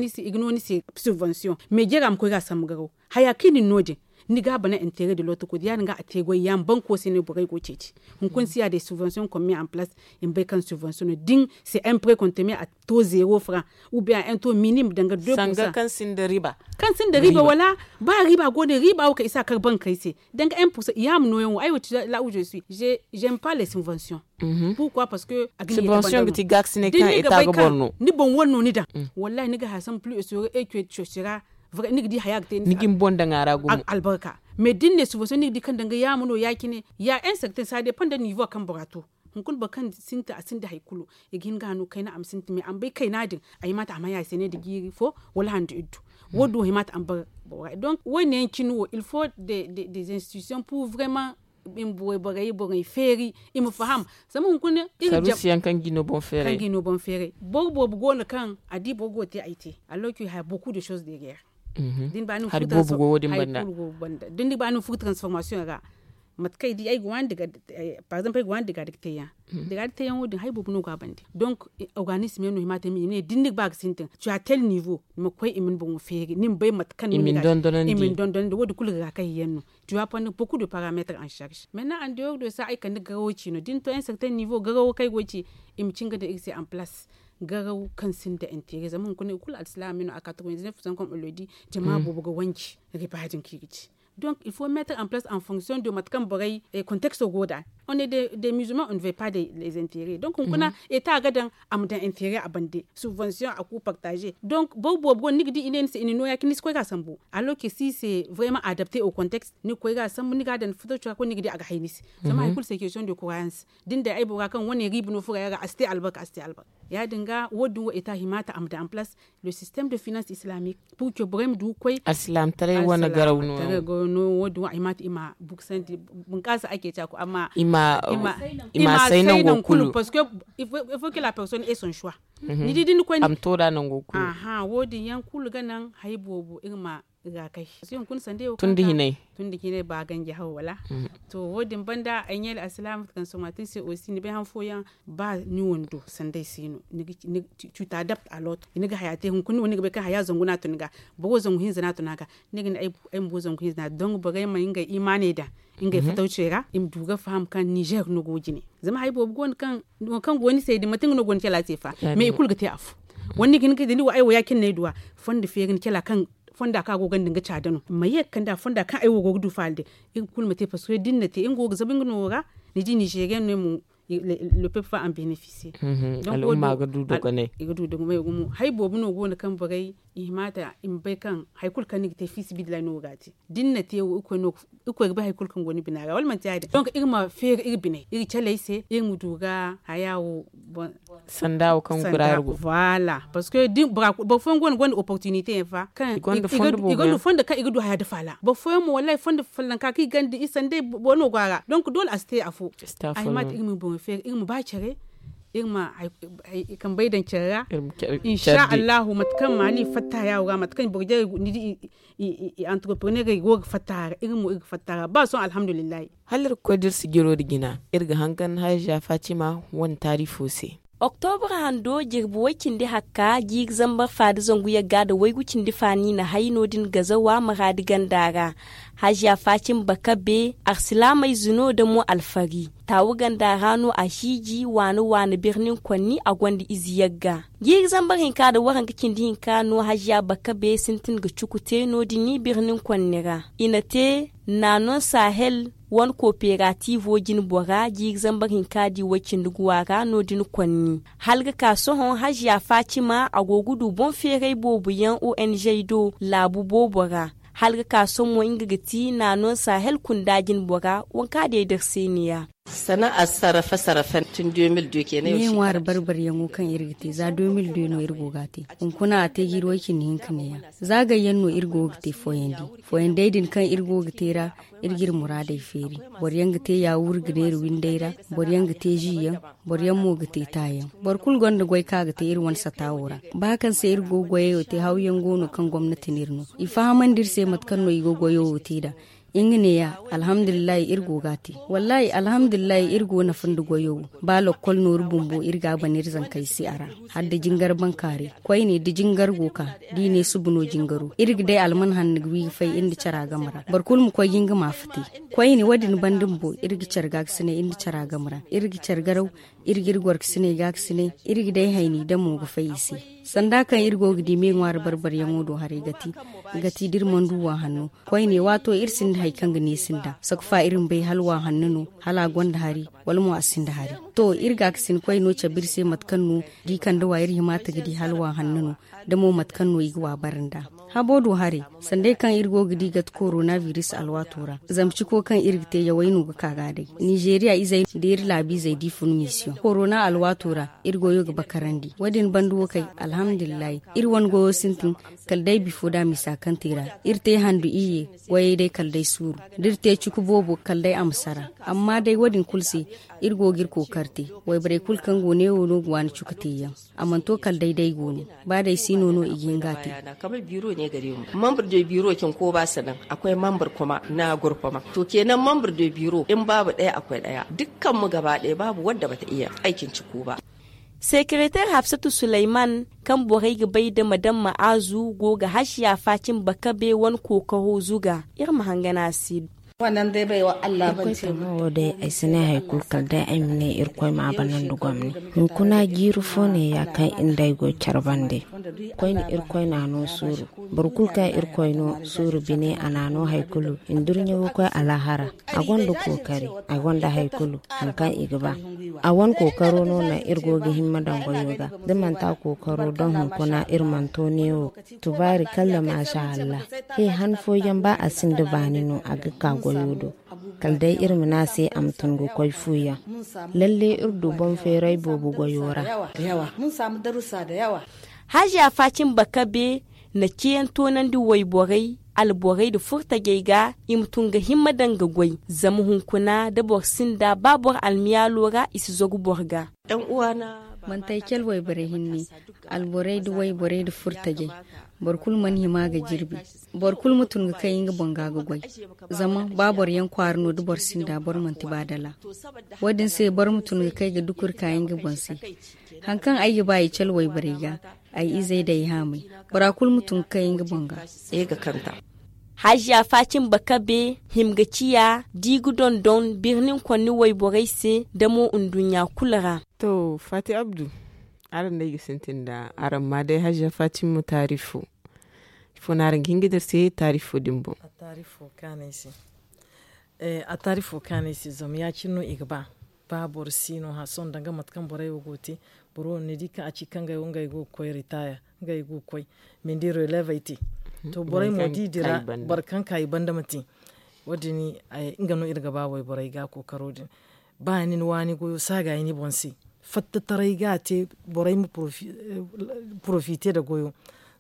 se i ga no ni se subvention mais jeera ma koy ga a sambu garaw haya kaŋ i na ni no- din. Ni ga a bana intérêt de l'autre côté ya- din ga a te goy yaama banko se no borey go ga ceeci. Hunkuna si ya des subventions comme mis en place i ma bay kaŋ subvention no da ni c'est un prêt qu'on te met à taux zéro franc ou bien à un taux minime danga deux pour cent kaŋ sinda riba. Kaŋ sinda riba wala ba riba go ne riba wo kaŋ i si a kar bankey se danga un pour cent yaama nooyaŋ wo ay wo ti là où je suis j'aime pas les subventions. Pourquoi parce que a ga ne subvention ga ti gaakasinay kaŋ état ga boro no ni boŋ wane no ni daŋ. Wallahi ni ga haya sambu plus et soro et que cocira. Ni ga di haya ga te ni ga ni boŋ daŋ a ra gumo albarka. Mais da ni ne subvention ni ga di kaŋ danga yaama no ya- cine ya un certain ça dépend da niveau kaŋ bora to. Hunkuna boro kaŋ sintin a sinda hari kulu i ga hin ga a no kayna a ma sintin mais a ma bay kayna din a hima ta a ma haya se ne nda jiiri fo wala handu iddu. Wo- din wo hima ta a ma bar bora donc wo- ne yaŋ cine wo il faut des institutions pour vraiment i ma borey borey borey feeri i ma faham. Zama hunkuna iri jam kaŋ ga i no boŋ feeray boro boobo go no kaŋ a di boro go ga te ay te alors que i haya beaucoup de choses derrière. Da ni ba ni ma furo transformation ra Mate kaŋ ay di ay ga waani diga par exemple ay ga waani diga diga teeyaŋ. Diga diga teeyaŋo din hari boobo no go a bande. Donc organisme yaŋ no hima te i ma ne da ni ga ba ga sintin tu a tel nivo ni ma koy i ma ni boŋo feeri ni ma bay mate kaŋ no ni ga i ma ni dondonandi wo- din kulu ga ga kahi yaŋ no. Tu a pandi beaucoup de parametre en charge maintenant en dehors de sa ay kande garawo ci no da ni to un certain nivo garawo kaŋ ay go ga ci i ma cin ga daŋ iri se en place. Garaw kaŋ sinda intérêt zama hunkuna i kulu alsilaama me no a quatre vingt dix neuf sans comme on le dit jama boobo ga wanji. Riba din kaŋ i ga ci. Donc il faut mettre en place en fonction de mate kaŋ borey contexto go nd'a. On est des musulmans on ne veut pas les intérêts donc hunkuna état ga daŋ a ma daŋ intérêt a bande. Subvention a ku partager donc boro boobo go no ni ga di i ne ni se i na nooya cine ni si koy ga a sambu. Alors que si c'est vraiment adapté au contexte ni ga koy ga a sambu ni ga a daŋ ni fataw cora kulu ni ga di a ga hay ni se. Zama hari kulu c'est question de croyance. Da ni daŋ ay bora kaŋ wane riiba no furo yaŋ ra a si te albarka a si te albarka. Ya- din ga wo- din wo état hima ta a ma daŋ en place le système de finance islamique. Pour que borey ma du ga koy alsilaamataray wane garaw no. Wo- din wo a hima ta i ma buksandi bunkaasa ake ci a ko amma i ma say nango kulu parce que il faut que la personne ait son choix. Ni di da ni koy a ma to da nango kulu. Aha wo- din yaŋ kulu ga naŋ hari boobo iri ma ga kay. Tun da hinay. Tun da hinay ba ganji haw wala. To wo- din banda ay ɲeele alsilaama transformatrice aussi ni bay han fooyaŋ ba ni wando sanda ay se no. Tu t'adaptes à l'autre ni ga haya te hunkuna ni ga bay kaŋ haya zangu no a tun ga. Boro zangu hinza no a tun a ga. Ni ga ne ay ma boro zangu hinza no a don borey ma ngey imaaney daŋ ngey fatawcey ra i ma du ga faham kaŋ nizer no go jine. Zama hari boobo go no kaŋ wo kaŋ go ni se din manti nga no go ni cala se fa. Mais i kulu ga te afo. Wala ni ga hin ga da ni wo ay wo ya- cine no ay duw'a fondo feeri ni cala kaŋ fonda kaŋ a go ga nda nga caada no ma ye ga kande a fonda kaŋ ay wo go ga du faala day. Iri kulu ma te parce que da ni na te nga wo ga zabu nga no wo ra. Ni di nizeriyaŋ no ay mo le peuple va en bénéficier. Al'umma ga du dogonay. I ga du dogonay gumo hari boobo no go no kaŋ borey i hima ta i ma bay kaŋ hari kulu kaŋ ni ga te fiisabilillahi no ga te. Da ni na te wo irkoy ga bay hari kulu kaŋ go ni bina ra wala manti ya- din donc iri ma feeri iri biney iri caley se iri ma du ga haya wo. Sanda wo kaŋ gura iri go. Voilà parce que boro fooyaŋ go no gonda opportunité yaŋ fa kaŋ i gonda fondo kaŋ i ga du haya dafa ra boro fooyaŋ mo wallahi fondo follonka kaŋ i ganda i sanday boro no go a ra donc doole a si te afo. A hima ta iri ma boŋey feeri iri ma ba care iri ma kambey daŋ care ra. Insa allahu mate kaŋ maali fatta haya wo ga mate kaŋ boro jarey ni di i entrepreneurey go ga fatta a ra iri mo iri ga fatta a ra ba sohõ alhamdulillahi. Hala iri ga koy da iri sijiro nda jina iri ga hangan haaziya fatima wane taarifo se. Oktobra hando jirbi way-cindi hakka jiiri zambar fa nda zangu yagga nda waygu cindi fa no i na hay no- din gazawa maraadi ganda ra. Haaziya fatima bakabe arsilaamey zino nda mo alfari taawu ganda ra no a hiiji waana waana birnin konni a gonda ize yagga. Jiiri zambar hinka nda waranka cindi hinka no haaziya bakabe sintin ga cuku te no- din birnin konni ra i na te naanon sahel wane kooperativo jine bora jiiri zambar hinka di way-cindi guwa ra no- din konni. Hala ga ka sohõ haaziya fatima a go ga du boŋ feeray boobo yaŋ ong do laabu boobo ra. Hala ga ka sohõ nga ga ti naanon sahel kunda jine bora waŋ kaŋ a day da iri se ne ya. Sana'a sarrafa sarrafa tun deux mille deux kenan. Ɲaŋwaari barbaryaŋo kaŋ iri ga te za deux mille deux no iri go ga a te. Hunkuna a te ga iri way-cindi hinka neeya. Za gayyaŋ no iri go ga te fooyandi. Fooyandey din kaŋ iri go ga te ra iri ga iri muraadey feeri. Boro yaŋ ga te yaawuri ga neera windey ra. Boro yaŋ ga te zi yaŋ. Boro yaŋ mo ga te taayaŋ. Boro kulu gonda goy kaŋ a ga te iri wane sata wo ra. Ba kaŋ se iri go ga goyey wo te hawyaŋ go no kaŋ gomnati no iri no. I fahamandi iri se mate kaŋ no i go goyo wo te nd'a. Nga neeya alhamdulillahi iri go ga a te. Wallahi alhamdulillahi iri go nafa nda goyo wo. Ba lokkol nooru bumbo iri ga a ban iri zankey se a ra. Hala da jingar bankaaray koyne da jingar go ka da i ne suba no jingaro iri ga day alman hanno ga wi ga fay iri nda cara game ra boro kulu ma koy ga nga maafa te. Koyne wo- din banda bumbo iri ga care gaakasinay iri nda cara game ra iri ga care garaw. Iri ga iri gorkasinay gaakasinay iri ga day hayni damo ga fay i se. Sanda kaŋ iri go ga di me ŋwaari barbaryaŋo do haray ga ti da iri mana du wa hanno. Koyne waato iri sinda hari kaŋ ga neesi nd'a saka fa iri ma bay hala wa hanno no hala a gonda hari wala mo a sinda hari. To iri gaakasin koyno cabe iri se mate kaŋ no da i kande wa iri hima ta ga di hala wa hanno no. Da mo mate kaŋ no i ga wa bare nd'a. Habo do haray sanday kaŋ iri go ga di gate korona biris alwaato ra zama ciko kaŋ iri ga te yawey no ga ka ga a day. Nizeeriya izey da iri laabiizey da i fun misiyoŋ korona alwaato ra. Iri goyo ga bakarandi wo- din banda wo kay alhamdulillahi. Iri wane goyo sintin kala day bifo da misa kaŋ te ra. Iri te handu iyye wayey day kala day suuru da iri te cuku boobo kala day a ma sara. Amma day wo- din kulu se iri go ga iri kookari te. Wayborey kulu kaŋ go neewo no ga waani cuku teeyaŋ. A mana to kala day day go no ba day siino no i ga hin ga a te. Membre de biro cin ko ba sanan akwai membre kuma na gurfama to kenan membre de biro in babu daya akwai daya dukkan mu gaba daya babu wadda bata iya aikin ci ko ba. Secretaire Hafsatu Sulaiman, kaŋ borey ga bay da madam ma'azu go ga hashiya facin bakabe wane kookaro zuga. Iri ma hangana a si. Wo day ay si ne hari kulu kala day ay ma ne irkoy ma a banandi gomni. Hunkuna jiiri fo ne ya kaŋ iri nd'ey go care bande. Koyne irkoy n'a no suuru. Boro kulu kaŋ irkoy no suuru bine a n'a no hari kulu. Indurɲe ga koy alaahara. A gonda kookari. A gonda hari kulu hari kaŋ i ga ba. A wane kookaro no naŋ iri go ga himma daŋ goyo ga. Da manti a kookaro daŋ hunkuna iri mana to neewo. Tubaari kalla maasa allah. He han fooyaŋ ba a sinda baani no a ga ka goyo do. Kala day iri ma ne a se a ma tun ga koy fuuyaŋ. Lalle iri du boŋ feeray boobo goyo ra. Haziya faacin bakabe na ciyaŋ toonandi wayborey, alborey nda furtajey ga i ma tun ga himma daŋ ga goy. Zama hunkuna da boro sinda ba boro almiyaalo ra i si zagu boro ga. Manti ay cale wayborey hinne, alborey nda wayborey nda furtajey. Boro kulu mana hima ga jirbi. Boro kulu ma tun ga kay nga boŋ ga ga goy. Zama ba boro yaŋ kwaara no da boro sinda boro manti ba dala. Wo- din se boro ma tun ga kay ga dukuri ka nga boŋ se. Hari kaŋ ay ga ba i cale wayborey ga, ay izey nda ay haamay, bora kulu ma tun ga kay nga boŋ ga. Haziya faacin bakabe hima ga ciya da i ga dondon birni konni wayborey se da mo nduɲɲa kulu ra. To faati abdu, araŋ no ay ga sintin nda araŋ ma day haziya faacin ma taarifo. Ifo no araŋ ga hin ga dira se taarifo din boŋ? A taarifo kaanay se zama ya- cine no i ga ba. Ba boro si no hã sohõ danga mate kaŋ borey wo go ga te. Boro wo ni di kaŋ a ci kaŋ ngey wo ngey go ga koy ritaya, ngey go ga koy. Mindi releve ay te. To borey mo da i dira boro kaŋ ka i banda ma te. Wo- din nga no iri ga ba wayborey ga kookaro din. Ba ni na waani goyo saagayi ni boŋ se. Fattataray ga a te borey ma porofite nda goyo.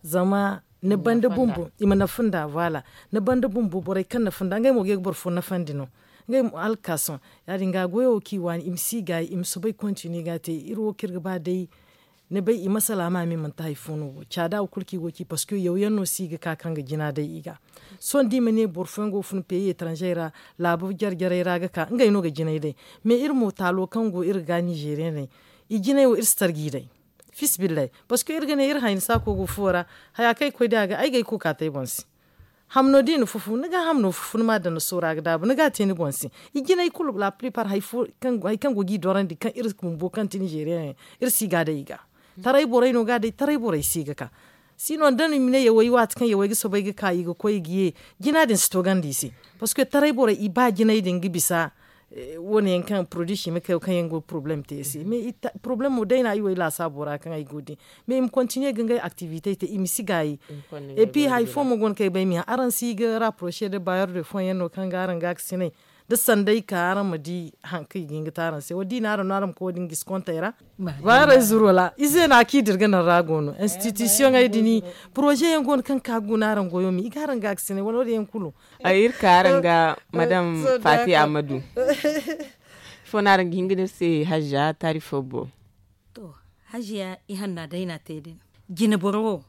Zama ni banda bumbo i ma nafa nda voilà. Ni banda bumbo borey kaŋ nafa nda ngey mo ga ye ga boro fo nafandi no. Ngey mo hala ga ka sohõ ya- din ga goyo wo kaŋ i waani i ma si gaayi i ma soobay kontini ga a te iri wo kaŋ iri ga ba day. Ni bay i masala ma me manti hari fo no wo caada wo kulu kaŋ i go ga ci parceque yaw yaŋ no si ga ka kaŋ ga jina day i ga. Sohõ da i ma ne boro fooyaŋ go ga fun peyi etranze ra, laabu jare jarey ra ga ka ngey no ga jinay day. Mais iri mo taalo kaŋ go iri ga nizeeriyaney, i jinay wo iri si tarji day. Fisbilay. Parceque iri ga ne iri hayni saako go fuwo ra. Haya kaŋ ay ga koy day a ga ay ga ay kokaatay boŋ se. Hamno da i na fufu ni ga hamno fufu ni ma a daŋ ni soora ga daabu ni ga a te ni boŋ se. I jinay kulu la plipar hari kaŋ go ga i dorandi kaŋ iri bumbo kaŋ ti nizeeriyaney, iri si ga a day i ga. Taray borey no ga a day taray borey si ga ka. Sino da no i ma ne yawey waati kaŋ yawey ga soobay ga ka i ga koy i ga ye. Jina din si toogandi i se. Parceque taray borey i ba jinay din ga bisa. Wo- ne yaŋ kaŋ poroduwi simikayo kaŋ yaŋ go ga porobalem te i se mais porobalemo day no ay wo ay laasaabo ra kaŋ ay go ga di. Mais i ma kontiniye ga ngey aktivite te i ma si gaayi. Epi hari fo mo go no kaŋ ay bay ay ma hã araŋ si ga raporose nda bayor de fooyaŋ no kaŋ ga araŋ gaakasinay da sanday ka araŋ ma di. Hari kaŋ i ga hin ga te araŋ se wo- din no araŋ no araŋ ma koy wo- din gisi kontey ra. Baarey zuru wala ize no a kaŋ i dirga naŋ ra go no institusiyoŋey din. Poroze yaŋ go no kaŋ ga ka ga guna araŋ goyo ma i ga araŋ gaakasinay wala wo- din yaŋ kulu. Ay iri ka araŋ ga madam fati amadu. Ifo no araŋ ga hin ga ne iri se hajja taari fo bo? To, hajja i hanna day no a te din. Jine boro wo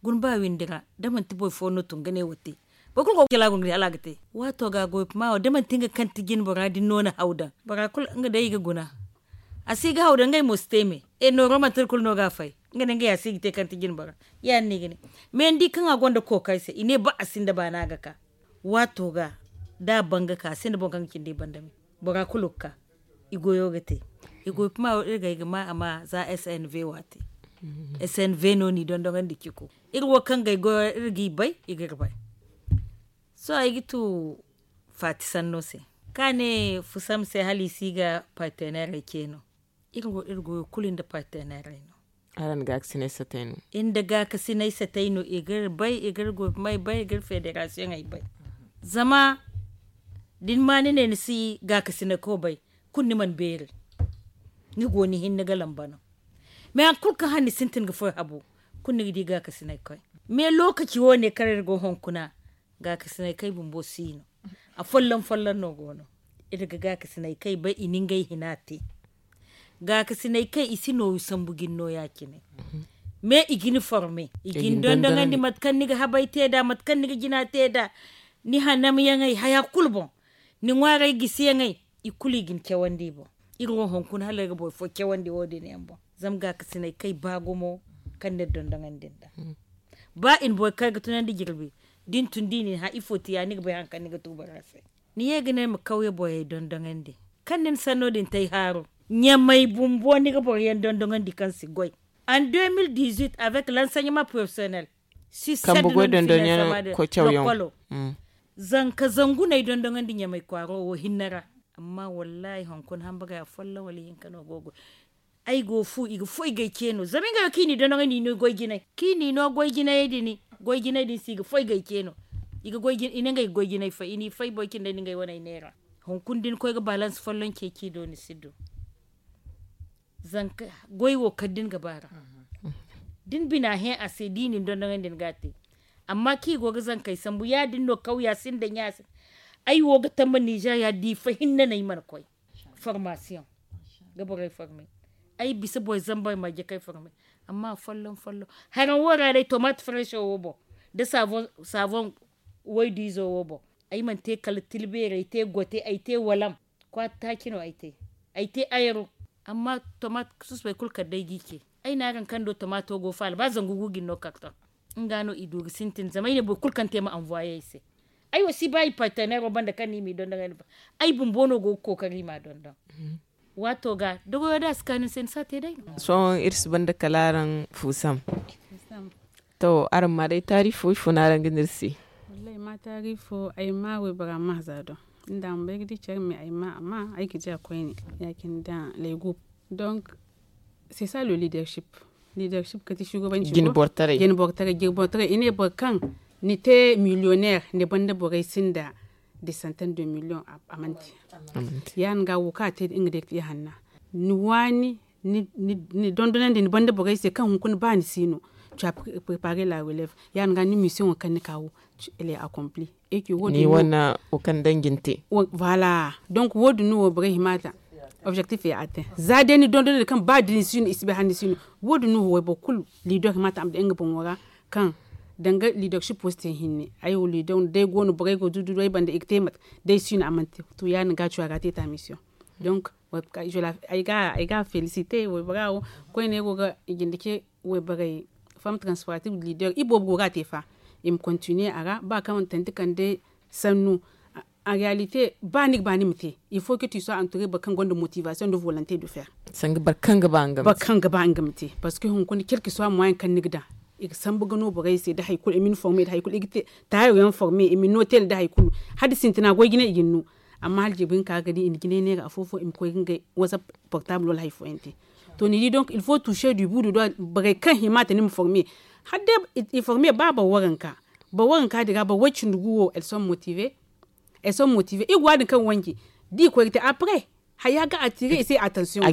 guna ba windi ra da manti boro fo no tun ga ne wo te. Boro kulu go ga jala guna ga di hala a ga te. Waato ga goy kuma wo da manti nga kaŋ ti jine bora din no na haw daŋ bora kulu nga day i ga guna. A si ga haw daŋ ngey mo si te me. E nooro manti iri kulu no ga a fay. Nga ne ngey a si ga te kaŋ ti jine bora. Ya- din no i ga ne. Me ni di kaŋ a gonda kookari se i ne ba a sinda baana ga ka. Waato ga da a ban ga ka a sinda boŋ kaŋ ga cindi i banda me. Bora kulu ga ka i goyo ga te. I goy kuma wo iri ga ay ga ma a ma za snv waati. Snv no n'i dondoŋandi ciko. Iri wo kaŋ ga ay goyo ra iri g'i bay i g'iri bay. Sohõ ay ga tu faati sanno se, kaŋ a ne fusam se hala i si ga parteneerey ce no. Iri wo iri goyo kulu nda parteneerey no. Araŋ nda gaakasinay satay no. Iri nda gaakasinay satay no i g'iri bay i g'iri goy kuma ay bay i g'iri federasiyoŋey bay. Zama da ni ma ni ne ni si gaakasinay ko bay, kulu ni mana beeri. Ni go ni hinne ga lamba no. Mais hari kulu kaŋ hane ni sintin ga furo habo, kulu ni ga di gaakasinay koy. Mais lookaci wo- ne kaŋ iri go hunkuna, gaakasinay kay bumbo si no. A folloŋ folloŋ no go no. Iri ga gaakasinay kay bay i na ngey hina te. Gaakasinay kay i si nooru sambu ga ni no ya- cine. Mais i ga ni forme, i ga ni dondoŋandi mate kaŋ ni ga habay te nd'a, mate kaŋ ni ga jina te nd'a, ni hanamyaŋey haya kulu boŋ, ni ŋwaaray gisiyaŋey, i kulu i ga ni cawandi i boŋ. Iri wo hunkuna hala iri ga boro fo cawandi wo- din yaŋ boŋ. Zama gaakasinay kay ba gumo kaŋ ni dondoŋandi nd'a. Ba i na boro kay ga tunandi jirbi, da ni tun da i na ni hã ifo ti ya ni ga bay hari kaŋ ni ga tu bora se. Ni ye ga ne ma kawye borey dondoŋandi kaŋ ni na sanno din te ay haaru. Ɲamay bumbo ni ga boro yaŋ dondoŋandi kaŋ si goy. En 2018 avec l'enseignement professionnel, si kambe goy dondoŋyaŋ koy cawyaŋ. Zanka zangu no ay dondoŋandi ɲamay kwaaro wo hinne ra. Amma wallaahi hunkuna hambagay afolloŋ wala ihinka no go ga goy. Ay go fu i ga foy gay ce no zama ngey wo kaŋ i n'i dondoŋandi i no goy jinay kaŋ i n'i no goy jinayey din. Goy jinay din se i ga foy gay ce no. I ga goy jinay fay i n'i fay boro cindey nda ngey waney neera. Hunkuna da ni koy ga balans folloŋ ceeci do ni si du. Zanka goy wo kala da ni ga ba ra, da ni bina hẽ a se da i na ni dondoŋandi ni ga a te. Amma kaŋ i go ga zankey sambu ya- din no kawya sinda ɲa se. Ay wo ga tamba nizeeriya diifa hinne no ay mana koy formasiyoŋ ga borey forme. Ay bisa boro zambar marje kaŋ ay forme. Amma folloŋ folloŋ haraŋ wo ra day tomaate fareso wo boŋ, nda saaboŋ waydiizo wo boŋ. Ay mana te kala tilbeeri ay te gote ay te walam. Kwaati taaci no ay te ay te ayro. Amma tomaate susubey kulu kala day ga i ce. Ay ne araŋ kaŋ do tomaato go faala ba zangu guuji ni no kartoŋ. Nga no i du ga sintin zama ay ne boro kulu kaŋ te ma anvoye ay se. Ay wo si ba i parteneero banda kaŋ no i m'i dondoŋ ay bumbo no go ga kookari i m'a dondoŋ. Waato ga da goyo da a si kaanu ni se ni si a te day no. Sohõ iri si banda kala araŋ fuusam. To araŋ ma day taari fo ifo no araŋ ga ne iri se? Wallaahi ma taari fo ay ma waybora ma za do. Ni da a ma bay ga di care me ay ma a ma ay ga di a koyne. Ya- cine da laygu. Donc c'est ça le leadership. Leadership kate shugabanci jine bortaray jine bortaray i ne boro kaŋ ni te millionaire ni banda borey sinda des centaines de millions. A manti ya- din ga wo kaŋ a te da nga day ga te hanna. Ni waani ni dondonandi ni banda borey se kaŋ hunkuna ba ni si no. Tu as préparer la relève ya- din ga ni mission wo kaŋ ni ka wo. Elle est accomplie. Ni wane wo kaŋ danji ni te. Voilà. Donc wo- din no wo borey hima ta objectif ya atteint za day ni dondonandi kaŋ ba da ni si no i si bay hala ni si no. Wo- din no wo wayboro kulu leader hima ta a ma daŋ nga boŋo ra. Kaŋ danga leadership wo si te hinne ay wo leader no day go no borey go dudu ay banda i ga te mate. Day si no a mana te to ya- din ga cuwa ga te ta mission. Donc ay ga féliciter waybora wo koyne ay go ga i jinde ce wayborey femme transportive leader i boobo go ga a te fa. I ma continuer a ra ba kaŋ tanti kande sannu. En réalité ba ni ga ba ni ma te il faut que tu sois entouré boro kaŋ gonda motivation nda volonté de faire. Sanga boro kaŋ ga ba nga ma te parce que hunkuna quelque soit moyen kaŋ ni ga daŋ i ga sambu ga no borey se da hari kulu i ma ni former da hari kulu i ga te taayo yaŋ former i ma ni no teel da hari kulu. Hala da sintina goy jine i ga ni no. Amma hala jirbi hinka ga di i na jinay neera afo-fo i ma koy ga ngey whatsapp portable wala hari fooyaŋ te. To ni di donc il faut toucher du bout du doigt borey kaŋ hima te ni ma former. Hala day i former ba boro waranka boro waranka din ga boro way- cindi gu wo elles sont motivées. Elles sont motivées i ga wa- din kaŋ wanji da i koy ga te après haya ga attirer i se attention a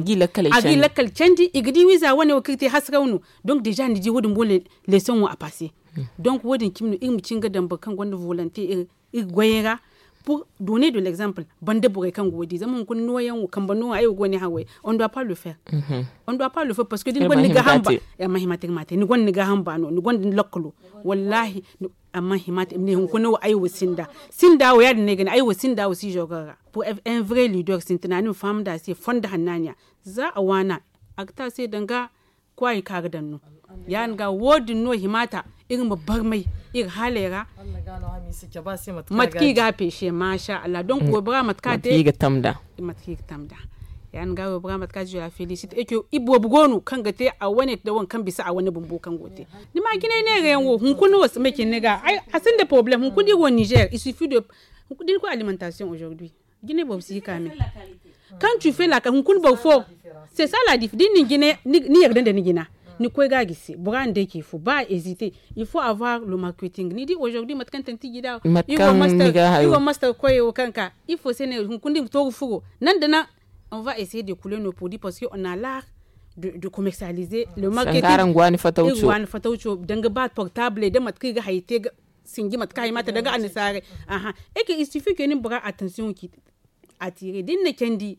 ga i lakkal candi i ga di wiiza wane wo kaŋ i ga te hasaraw no. Donc déjà ni di wo- din boŋ leçon wo a passer. Donc wo- din cimi no iri ma cin ga daŋ boro kaŋ gonda volonté iri goyey ra. Pour donner de l'exemple banda borey kaŋ go wo- din zama hunkuna nooyaŋ wo kambe nooya ay wo ga wane haray. On doit pas le faire. On doit pas le faire parce que da ni gonda ni gaaham ba a mana hima te iri ma a te ni gonda ni gaaham ba no ni gonda ni lakkalo. Wallahi a mana hima te iri ma ne hunkuna wo ay wo sinda. Sinda wo ya- din no ay ga ne ay wo sinda wo si jogar ra. Pour un vrai leader sintina ni ma faham nd'a se fondo hannaaniya. Za a waana a ga te a se danga kwaayi kaŋ a ga daŋ no. Ya- din ga wo- din no hima ta iri ma barmay iri haaley ra. Mate kaŋ i ga a peese masha allah donc waybora mate kaŋ a te mate kaŋ i ga tamda. Ya- din ga waybora mate kaŋ a te je la félicite et que i boobo go no kaŋ ga te a wane da waŋ kaŋ bisa a wane bumbo kaŋ go ga te. Ni ma jinay neera yaŋ wo hunkuna wo si may cine ni ga a sinda problème hunkuna iri wo niger il suffit de da ni koy alimentation aujourd'hui. Jine boobo si ga ka me. Quand tu fais la hunkuna boro fo c'est ça la diff da ni na ni yarda nda ni jina ni koy ga a gisi bora na day ce fo ba a hésiter. Il faut avoir le marketing ni di aujourd'hui mate kaŋ tanti ji da iri wo master koyey wo kaŋ ka ifo se ne hunkuna da i ma to ga furo nan da nan. On va essayer de couler nos produits parce que on a l'art de commercialiser le marketing. Iri ga waani fatawco danga ba portable da mate kaŋ i ga hari te ga sinji mate kaŋ a hima te danga annasaarey. Aha. Eke il suffit que ni ma bora attention ci attirer da ni na candi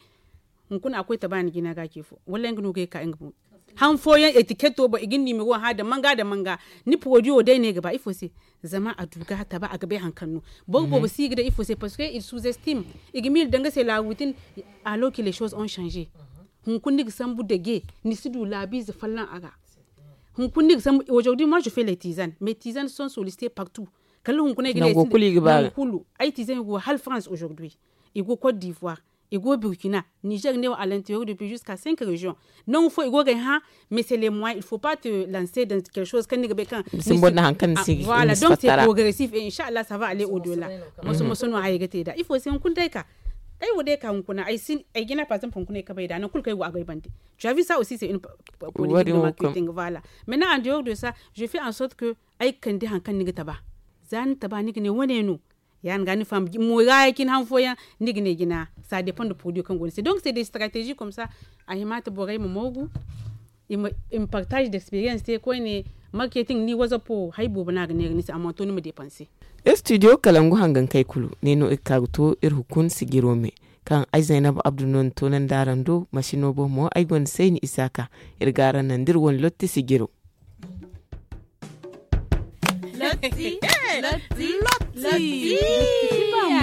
hunkuna a koy ta ba ni jina ga ce fo wala nga no ga ye ga ka nga boŋ. Han fooyaŋ etiketo boŋ i ga ni nimero hã da manga da manga. Ni porodiyo day no ay ga ba ifo se? Zama a du ga taba a ga bay hari kaŋ no. Boro boobo si ga day ifo se parce que il sous estime. I ga miila daŋ ga se la routine. Alors que les choses ont changé. Hunkuna ni ga sambu dage, ni si du laabiize folloŋ a ga. Hunkuna ni ga sambu aujourd'hui moi je fais les tizanes mais tizanes sont sollicitées partout. Kala hunkuna ay ga ne ay sinda nangu kulu ay tizanes go hala france aujourd'hui. I go côte d'ivoire, i go burkina, niger ne wo à l'intérieur depuis jusqu'à cinq régions. Nangu fo i go ga ay hã. Mais c'est les moyens il faut pas te lancer dans quelque chose kaŋ ni ga bay kaŋ ni si. Voilà donc c'est progressif et inshallah ça va aller au delà. Moso moso no haya ga te da ifo se hunkuna day ka ay wo day ka hunkuna ay si ay jina par exemple hunkuna ay kabay da nangu kulu kaŋ ay go a go ay bande. Tu as vu ça aussi c'est une politique de marketing. Voilà. Maintenant en dehors de ça je fais en sorte que ay ga kande hari kaŋ ni ga taba. Za ni taba ni ga ne wane no. Ya- din ga ni faham mo ra ya cine han fooyaŋ ni ga ne jina. Ça dépend de produit kaŋ go ni se donc c'est des stratégies comme ça. A hima ta borey ma moogu. I ma partage d'experience te koyne. Marketing ni wazapo hari boobo no a ga neera ni se a mana to ni ma dépenser. Studio kalangu hangankey kulu ne no iri ka ga to iri hunkuna sijiro me. Kaŋ ay zaynab abdu no ni toonandi araŋ do masino boŋ mo ay gonda sayni isaaka. Iri ga araŋ naŋ da iri wane lotti sijiro. Lotti. Lotti. Lotti. Lotti.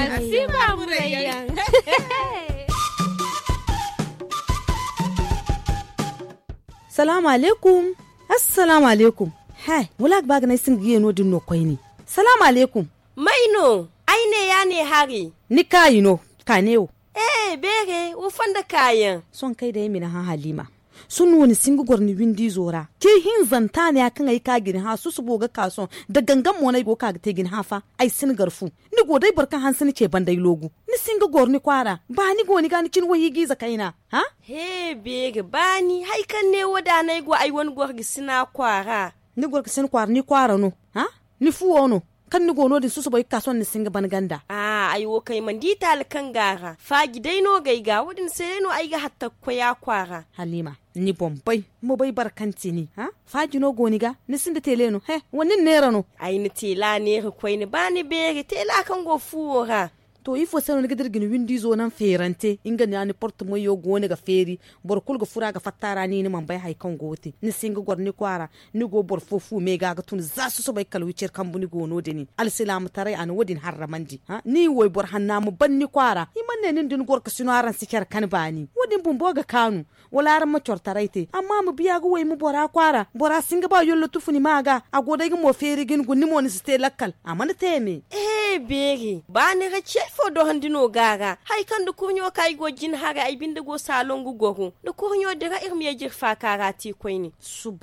Salaamu alaykum. Assalaamu alaykum. He wala a ga ba ga ne ay sinda ga ye no- din no koyne. Salaamu alaykum. May no? Ay ne ya ne hari. Ni kaayi no. Ka ne wo. Ee beere wo fondo kaayaŋ. Sohõ kaŋ ay day ay ma ni hã haliima. Sohõ ni wo ni si hin ga goro ni windi izo ra. Te hinzanta ne ya kaŋ ay ka ga ni hã susubo ga ka sohõ da gangam mo no ay go ga ka ga te ga ni hã fa. Ay si ni gar fu. Ni go day boro kaŋ hanse ni ce banda ay loogu. Ni si hin ga goro ni kwaara ba ni go ni ga ni cine wayhiijiize kayna. Hã? He beere baani hari kaŋ ne wo da no ay go ay wane gorgasina kwaara. Ni gorgasina kwaara ni kwaara no? Hã? Ni fuwo no? Kaŋ ni go no- din susubo ay ga ka sohõ ni si hin ga ban ganda. Aa ay wo kaŋ ay mana di taali kaŋ go a ra faaji day no go ay ga wo- din se day no ay ga hatta ga koy a kwaara. Haliima, ni boŋ bay ma bay boro kaŋ ti ni. Hã? Faaji no go ni ga? Ni sinda teele no he? Wala ni na neera no? Ay na teela neera koyne ba ni beeri teela kaŋ go fuwo ra. To ifo se no ni ga dira ga ni windo izo naŋ feerante nga no ya ni porte moyo go no ga feeri. Boro kulu ga furo a ga fatta ra ni ni mana bay hari kaŋ go ga te ni si hin ga goro ni kwaara. Ni go boro fo fu me ga ga tun za susubo ay kala wiciri kambu ni go no- din. Alsilaamataray a na wo- din harramandi. Ni wayboro hanna ma ban ni kwaara i mana ne nin da ni gorkasino araŋ si care kan baani wo- din bumbo ga kaanu. Wala araŋ ma coro taray te amma ma biya ga wayma bora kwaara bora si hin ga ba yollo tufu ni ma ga a go day ga mo feeri ga ni guna ni mo ni si te lakkal a mana te me. Ehe beeri ba ni ra cey fo dorandi no ga a ra. Hari kaŋ da kurɲo ka ay go jina haray ay binde go saalon ga goro da kurɲo dira iri ma ye jiri faaka ra te koyne.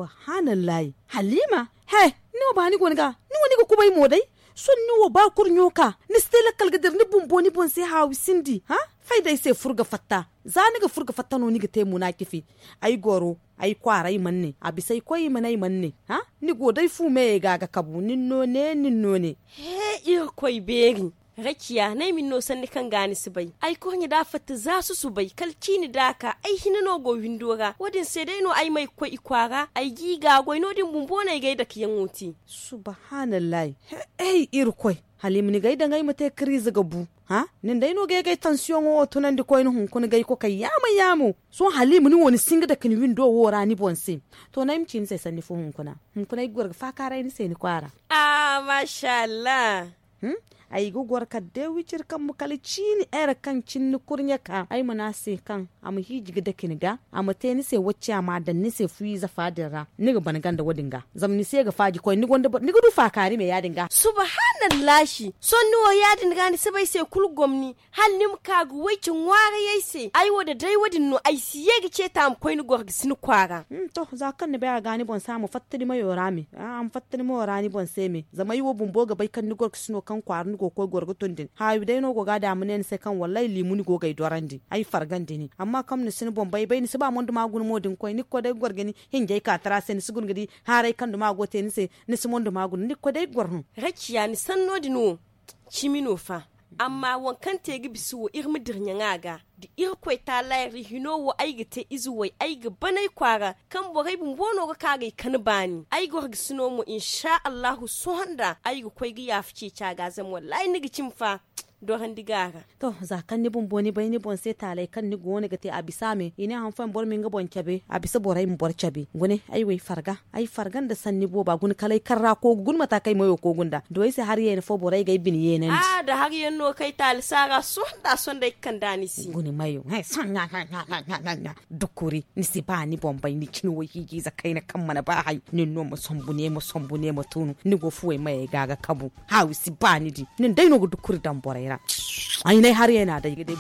Subahanallahi. Haliima. He ni wo ba ni go ni ga ni wo ni ga kubay mo day. Sohõ ni wo ba kurɲo ka ni si te lakkal ga dira ni bumbo ni boŋ se haawi sindi ha? Fay da ay se furo ga fatta. Za ni ga furo ga fatta no ni ga te muna cifi. Ay goro ay kwaara ay mana ne a bisa ay koy i mana ay mana ne. Ni go day fu meyey ga ga kabu nin no ne nin no ne. He irkoy beeri. Rakiya no ay ma ni no sanni kaŋ ga ni si bay ay kurɲe da a fatta za susubay kala ciini da a ka ay hina no go windo ra wo- din se day no ay ma ay ga koy i kwaara ay ga i gaagoy no- din bumbo no ay ga ay dakeyaŋo te. Subahanallahi. Hey irkoy. Hala i ma ni ga ay daŋ ay ma te kariize ga bu. Nin day no ga ay ga ay tansiyoŋo wo tunandi koyne hunkuna ga ay kokay yaamo yaamo. Sohõ hala i ma ni wo ni si hin ga dake ni windo wo ra ni boŋ se. To no ay ma ci ni se sanni fo hunkuna. Hunkuna ay ga goro ga faakaaray ni se ni kwaara. Ah mashallah. Ay ga goro kala day wiciri kambu kala ciini ere kaŋ cine ni kurɲe ka ay ma ne a se kaŋ a ma hiiji ga dake ni ga a ma te ni se wacce a ma a daŋ ni se fuyiize fa din ra. Ni ga ban ganda wo- din ga zama ni se ga faaji koyne ni gonda boro ni ga du faakaari me ya- din ga. Subahanallahi. Sohõ ni wo ya- din ga ni si bay se kulu gomni hala ni ma ka ga wayce ŋwaarayey se ay wo da day wo- din no ay si ye ga ceeta a ma koy ni goro ga si ni kwaara. To za kaŋ ni bay a ga ni boŋ se a ma fatta ni mayo ra me a ma fatta ni mayo ra ni boŋ se me zama ay wo bumbo ga bay kaŋ ni goro ga si no kaŋ kwaara ni go ga koy goro ga tun din haawi day no go ga a da a ma ne ni se kaŋ wallaahi liimu ni go ga ay dorandi ay fargandi ni amma kaŋ ni si ni boŋ bay bay ni si ba mondo ma guna mo din koy ni ga koy day ga goro ga ni hinjay ka tara se ni si guna ga di haaray kaŋ duma go te ni se. Ni si mondo ma guna ni ga koy day ga goro no. Rakiya ni sanno din wo cimi no fa. Amma waŋ kaŋ te ga bisa wo iri ma dira ɲaŋa ga da irkoy taalayri hino wo ay ga te ize way ay ga ban ay kwaara kaŋ borey bumbo no ga ka ga ay kan baani ay ga war ga sino mo insa allahu sohõ nda ay ga koy ga yaafa ceeci a ga zama wallaahi ni ga cimi fa. Dorandi ga a ga. To, za kaŋ ni bumbo ni bay ni boŋ se taaley kaŋ ni go no ga te a bisa me i ne han fooyaŋ boro ma nga boŋ cabe a bisa borey ma boro cabe. Gune ay wo ay farga, ay farga nda sanni booba gune kala ay karra koogu gune mata kaŋ ay mayo koogu nda do ay se hari yeena fo borey ga ay bine yeenandi. A da hari yaŋ no kaŋ ay taali saara sohõ nda a sohõ nda ay ga kande a ni se. Gune mayo. Dukuri ni si ba ni boŋ bay ni cine wo hiiji ize kayna kaŋ mana ba hay nin no ma sombu ne ma sombu ne ma tunu ni go fuwey mayey ga ga kabu. Haawi si ba ni di nin day no ga dukuri daŋ borey ra. Ay n'ay hari yaŋ no a day ga day.